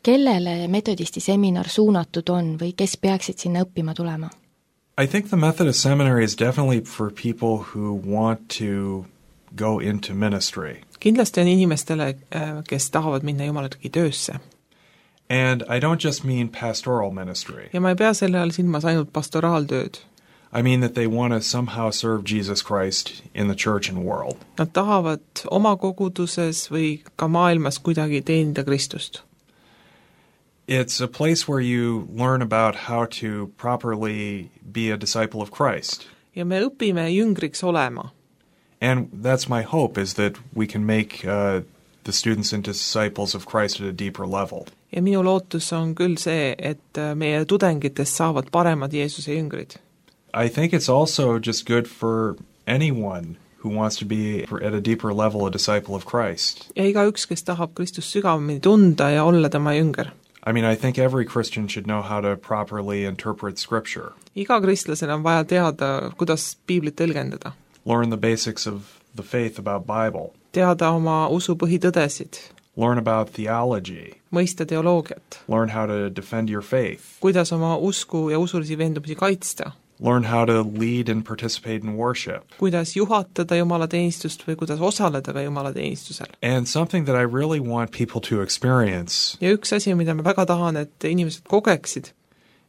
kellele metodisti seminar suunatud on või kes peaksid sinna õppima tulema? I think the Methodist Seminary is definitely for people who want to go into ministry. Kindlasti on inimestele, kes tahavad minna Jumalagi töösse. And I don't just mean pastoral ministry. Ja ma ei pea selle all silmas ainult pastoraaltööd. I mean that they want to somehow serve Jesus Christ in the church and world. Nad tahavad oma koguduses või ka maailmas kuidagi teenida Kristust. It's a place where you learn about how to properly be a disciple of Christ. Ja me õpime jüngriks olema. And that's my hope, is that we can make the students into disciples of Christ at a deeper level. Ja minu lootus on küll see, et meie tudengitest saavad paremad Jeesuse jüngrid. I think it's also just good for anyone who wants to be at a deeper level a disciple of Christ. Ja igaüks, kes tahab Kristust sügavamini tunda ja olla tema jünger. I mean, I think every Christian should know how to properly interpret Scripture. Iga kristlasel on vaja teada, kuidas Piiblit tõlgendada. Learn the basics of the faith about Bible. Teada oma usu põhitõdesid. Learn about theology. Mõista teoloogiat. Learn how to defend your faith. Kuidas oma usku ja usulisi veendumusi kaitsta. Learn how to lead and participate in worship. Kuidas juhatada Jumalateenistust või kuidas osaleda ka Jumalateenistusel. And something that I really want people to experience. Ja üks asi, mida ma väga tahan, et inimesed kogeksid,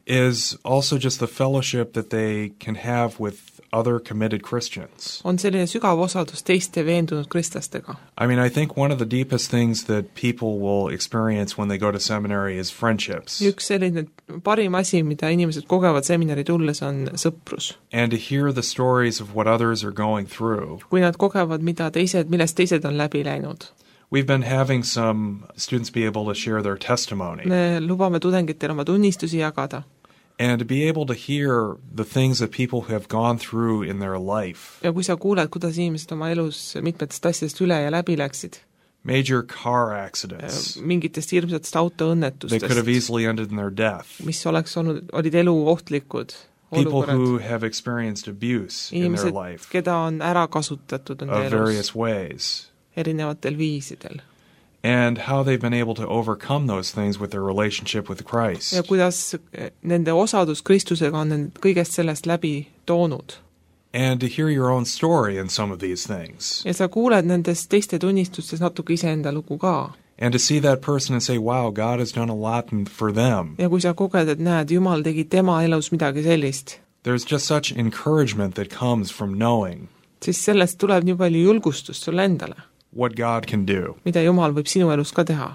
is also just the fellowship that they can have with other committed Christians. On selline sügav osadus teiste veendunud kristlastega. I mean, I think one of the deepest things that people will experience when they go to seminary is friendships. Üks selline parim asi, mida inimesed kogevad seminari tulles, on sõprus. And to hear the stories of what others are going through. Kui nad kogevad, millest teised on läbi läinud. We've been having some students be able to share their testimony. Me lubame tudengitel oma tunnistusi jagada. And to be able to hear the things that people have gone through in their life. Ja kui sa kuuled, kuidas inimesed oma elus mitmetest asjadest üle ja läbi läksid. Major car accidents. Mingitest hirmsatest autoõnnetustest. They could have easily ended in their death. Mis olid elu ohtlikud. People who have experienced abuse in their life. Keda on ära kasutatud of various ways. Erinevatel viisidel. And how they've been able to overcome those things with their relationship with Christ. Ja kuidas nende osadus Kristusega on kõigest sellest läbi toonud. And to hear your own story in some of these things. Ja sa kuuled nendest teiste tunnistustes natuke iseenda lugu ka. And to see that person and say, wow, God has done a lot for them. Ja kui sa koged, et näed, Jumal tegi tema elus midagi sellist. There's just such encouragement that comes from knowing. Siis sellest tuleb nii palju julgustust sulle endale. What God can do. Mida Jumal võib sinu elus ka teha.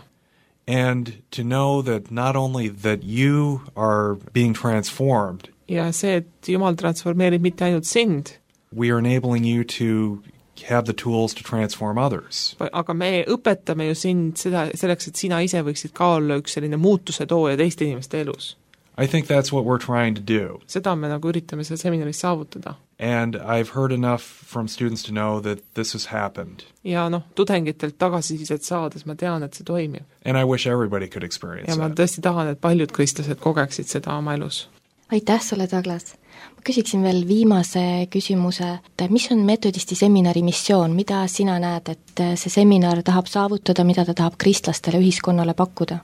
And to know that not only that you are being transformed. Ja see, et Jumal transformeerib mitte ainult sind. We are enabling you to have the tools to transform others. Aga me õpetame ju sind selleks, et sina ise võiksid ka olla üks selline muutuse tooja teiste inimeste elus. I think that's what we're trying to do. Seda me nagu üritame seal seminaris saavutada. And I've heard enough from students to know that this has happened. Ja tudengitelt tagasisidet saades ma tean, et see toimib. And I wish everybody could experience ja ma tõesti tahan, et paljud kristlased kogeksid seda oma elus. Aitäh sulle, Douglas! Ma küsiksin veel viimase küsimuse, et mis on metodisti seminari missioon, mida sina näed, et see seminar tahab saavutada, mida ta tahab kristlastele ühiskonnale pakkuda?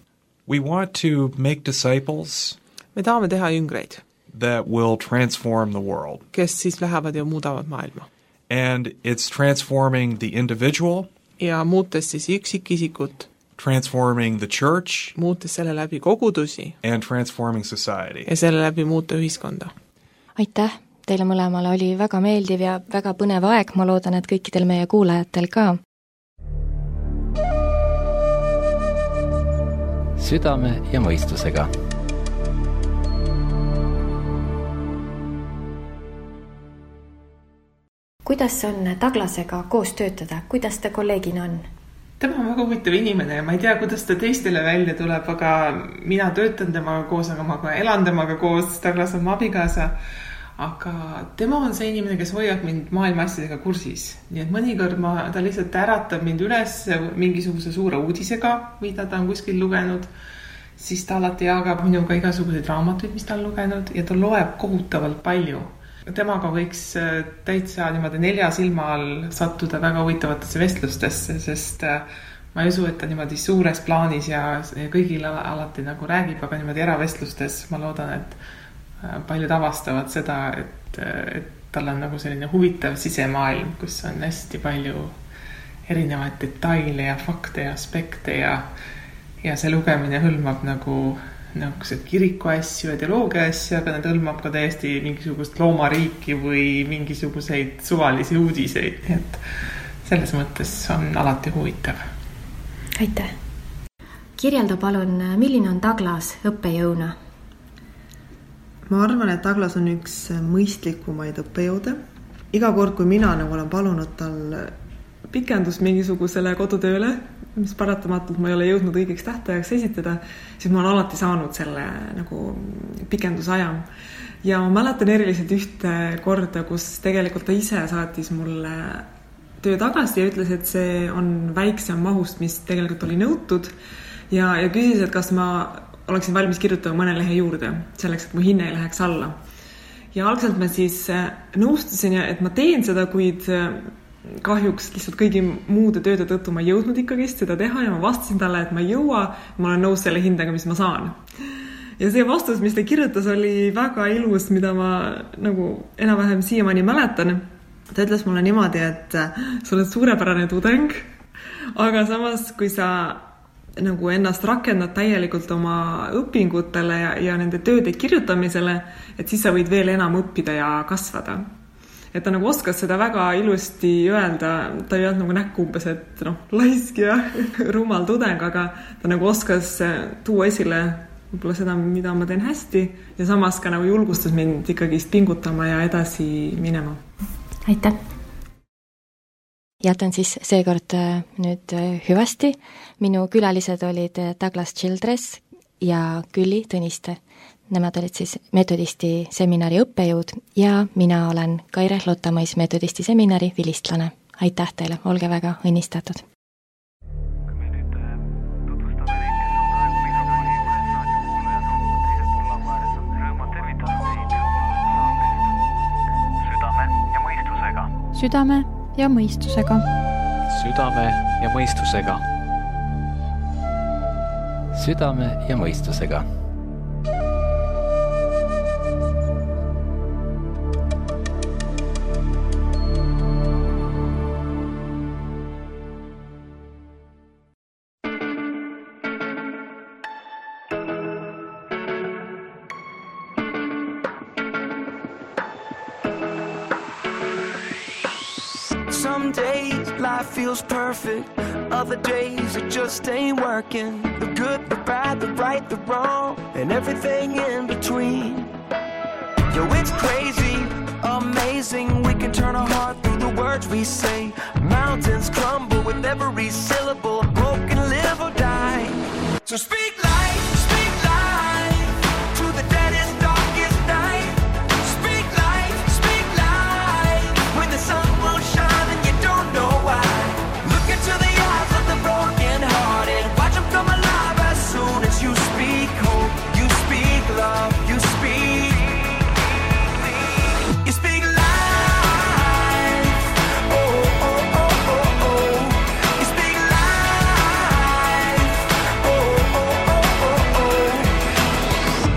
We want to make disciples. Me tahame teha jüngreid. That will transform the world. Kes siis lähevad ja muudavad maailma. And it's transforming the individual. Ja muutes siis üksikisikut. Transforming the church. Muutes selle läbi kogudusi. And transforming society. Ja selle läbi muuta ühiskonda. Aitäh! Teile mõlemale oli väga meeldiv ja väga põnev aeg, ma loodan, et kõikidel meie kuulajatel ka. Südame ja mõistusega. Kuidas on Douglasega koos töötada? Kuidas ta kolleegina on? Tema on väga huvitav inimene ja ma ei tea, kuidas ta teistele välja tuleb, aga mina töötan temaga koos, aga ma ka elan temaga koos, Douglas on mu abikaasa. Aga tema on see inimene, kes hoiab mind maailma asjadega kursis. Nii et mõnikord ta lihtsalt äratab mind üles mingisuguse suure uudisega, mida ta on kuskil lugenud. Siis ta alati jagab minuga igasuguseid raamatuid, mis ta on lugenud ja ta loeb kohutavalt palju. Temaga võiks täitsa niimoodi 4 silma all sattuda väga huvitavatesse vestlustesse, sest ma ei usu, et ta niimoodi suures plaanis ja kõigile alati nagu räägib, aga niimoodi eravestlustes ma loodan, et paljud avastavad seda, et tal on nagu selline huvitav sisemaailm, kus on hästi palju erinevaid detaile ja fakte ja aspekte ja see lugemine hõlmab nagu kiriku asju ja teoloogia asju, aga need hõlmab ka täiesti mingisugust loomariiki või mingisuguseid suvalisi uudiseid. Et selles mõttes on alati huvitav. Aitäh! Kirjelda palun, milline on Douglas õppejõuna? Ma arvan, et Douglas on üks mõistlikumaid õppejõude. Iga kord, kui mina olen palunud tal pikendust mingisugusele kodutööle, mis paratamatult ma ei ole jõudnud õigeks tähtajaks esitada, siis ma olen alati saanud selle nagu pikendusaja. Ja ma mäletan eriliselt ühte korda, kus tegelikult ta ise saatis mulle töö tagasi ja ütles, et see on väiksem mahust, mis tegelikult oli nõutud ja küsis, et kas ma oleksin valmis kirjutama mõne lehe juurde, selleks, et mu hinne ei läheks alla. Ja algselt ma siis nõustusin, et ma teen seda, kuid kahjuks lihtsalt kõigi muude tööde tõttu ma ei jõudnud ikkagist seda teha ja ma vastasin talle, et ma ei jõua, ma olen nõus selle hindega, mis ma saan. Ja see vastus, mis ta kirjutas, oli väga ilus, mida ma nagu enam-vähem siiamaani mäletan. Ta ütles mulle niimoodi, et sa oled suurepärane tudeng, aga samas, kui sa nagu ennast rakendad täielikult oma õpingutele ja nende tööde kirjutamisele, et siis sa võid veel enam õppida ja kasvada. Et ta nagu oskas seda väga ilusti öelda, ta ei olnud nagu näkku umbes, et laisk ja rumal tudeng, aga ta nagu oskas tuua esile võib-olla seda, mida ma teen hästi ja samas ka nagu julgustas mind ikkagist pingutama ja edasi minema. Aitäh! Jätan siis seekord nüüd hüvasti. Minu külalised olid Douglas Childress ja Külli Tõniste. Nemad olid siis metodisti seminari õppejõud ja mina olen Kaire Lottamõis metodisti seminari vilistlane. Aitäh teile, olge väga õnnistatud! Kui me nüüd tutvustame neid, kes on praegu mikrofoni juures raadiokuulajad on teisel pool laua ääres, on rõõm tervitada teid saatest Südame ja mõistusega. Südame ja mõistusega. Südame ja mõistusega. Südame ja mõistusega. Some days life feels perfect, other days it just ain't working. The good, the bad, the right, the wrong, and everything in between. Yo, it's crazy, amazing, we can turn our heart through the words we say. Mountains crumble with every syllable, broken live or die. So speak life, speak life, to the deadest, darkest night. Speak life, when the sun won't shine and you don't know why. Look into the eyes of the broken hearted, watch them come alive as soon as you speak hope, you speak love, you speak life. Oh, oh, oh, oh, oh. You speak life. Oh, oh, oh, oh,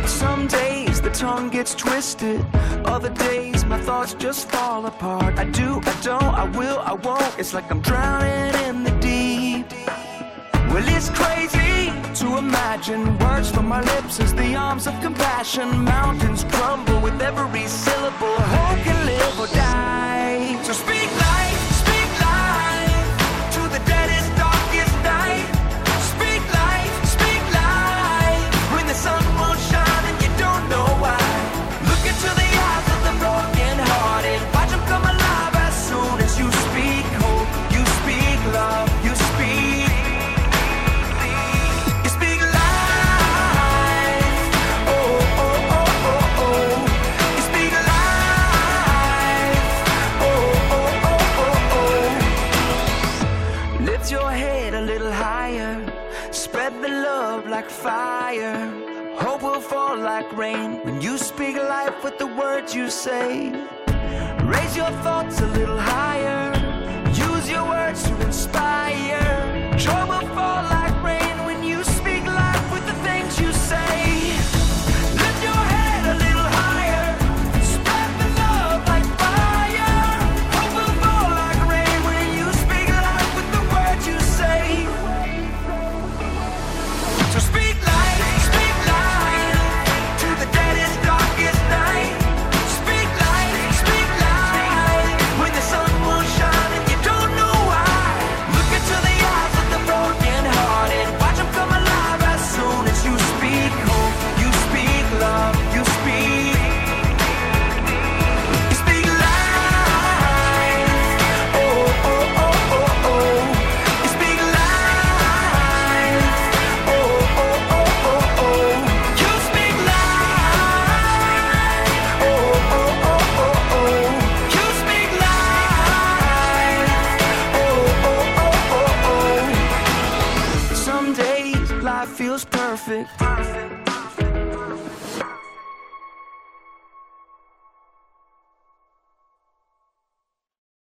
oh. Some days the tongue gets twisted, other days my thoughts just fall apart. I do, I don't, I will, I won't. It's like I'm drowning in the deep. Well, it's crazy to imagine words from my lips as the arms of compassion. Mountains crumble with every syllable. Hope can live or die. So speak life, to the deadest, darkest night. Speak life, when the sun won't shine and you don't know why. Look into the eyes of the broken hearted, watch them come alive as soon as you speak hope, you speak love, you speak. fall like rain when you speak life with the words you say. Raise your thoughts a little higher. Use your words to inspire. Trouble fall like rain when you speak life with the things you say. Lift your head a little higher. Spread the love like fire. Hope will fall like rain when you speak life with the words you say. So speak life to the deadest, darkest night. Speak life when the sun will shine and you don't know why. Look into the eyes of the broken hearted. Watch them come alive as soon as you speak hope. You speak love, you speak life. Oh, oh, oh, oh, oh. You speak life. Oh, oh, oh, oh, oh. You speak life. Oh, oh, oh, oh, oh. You speak life. Oh, oh, oh, oh, oh. Some days life feels perfect.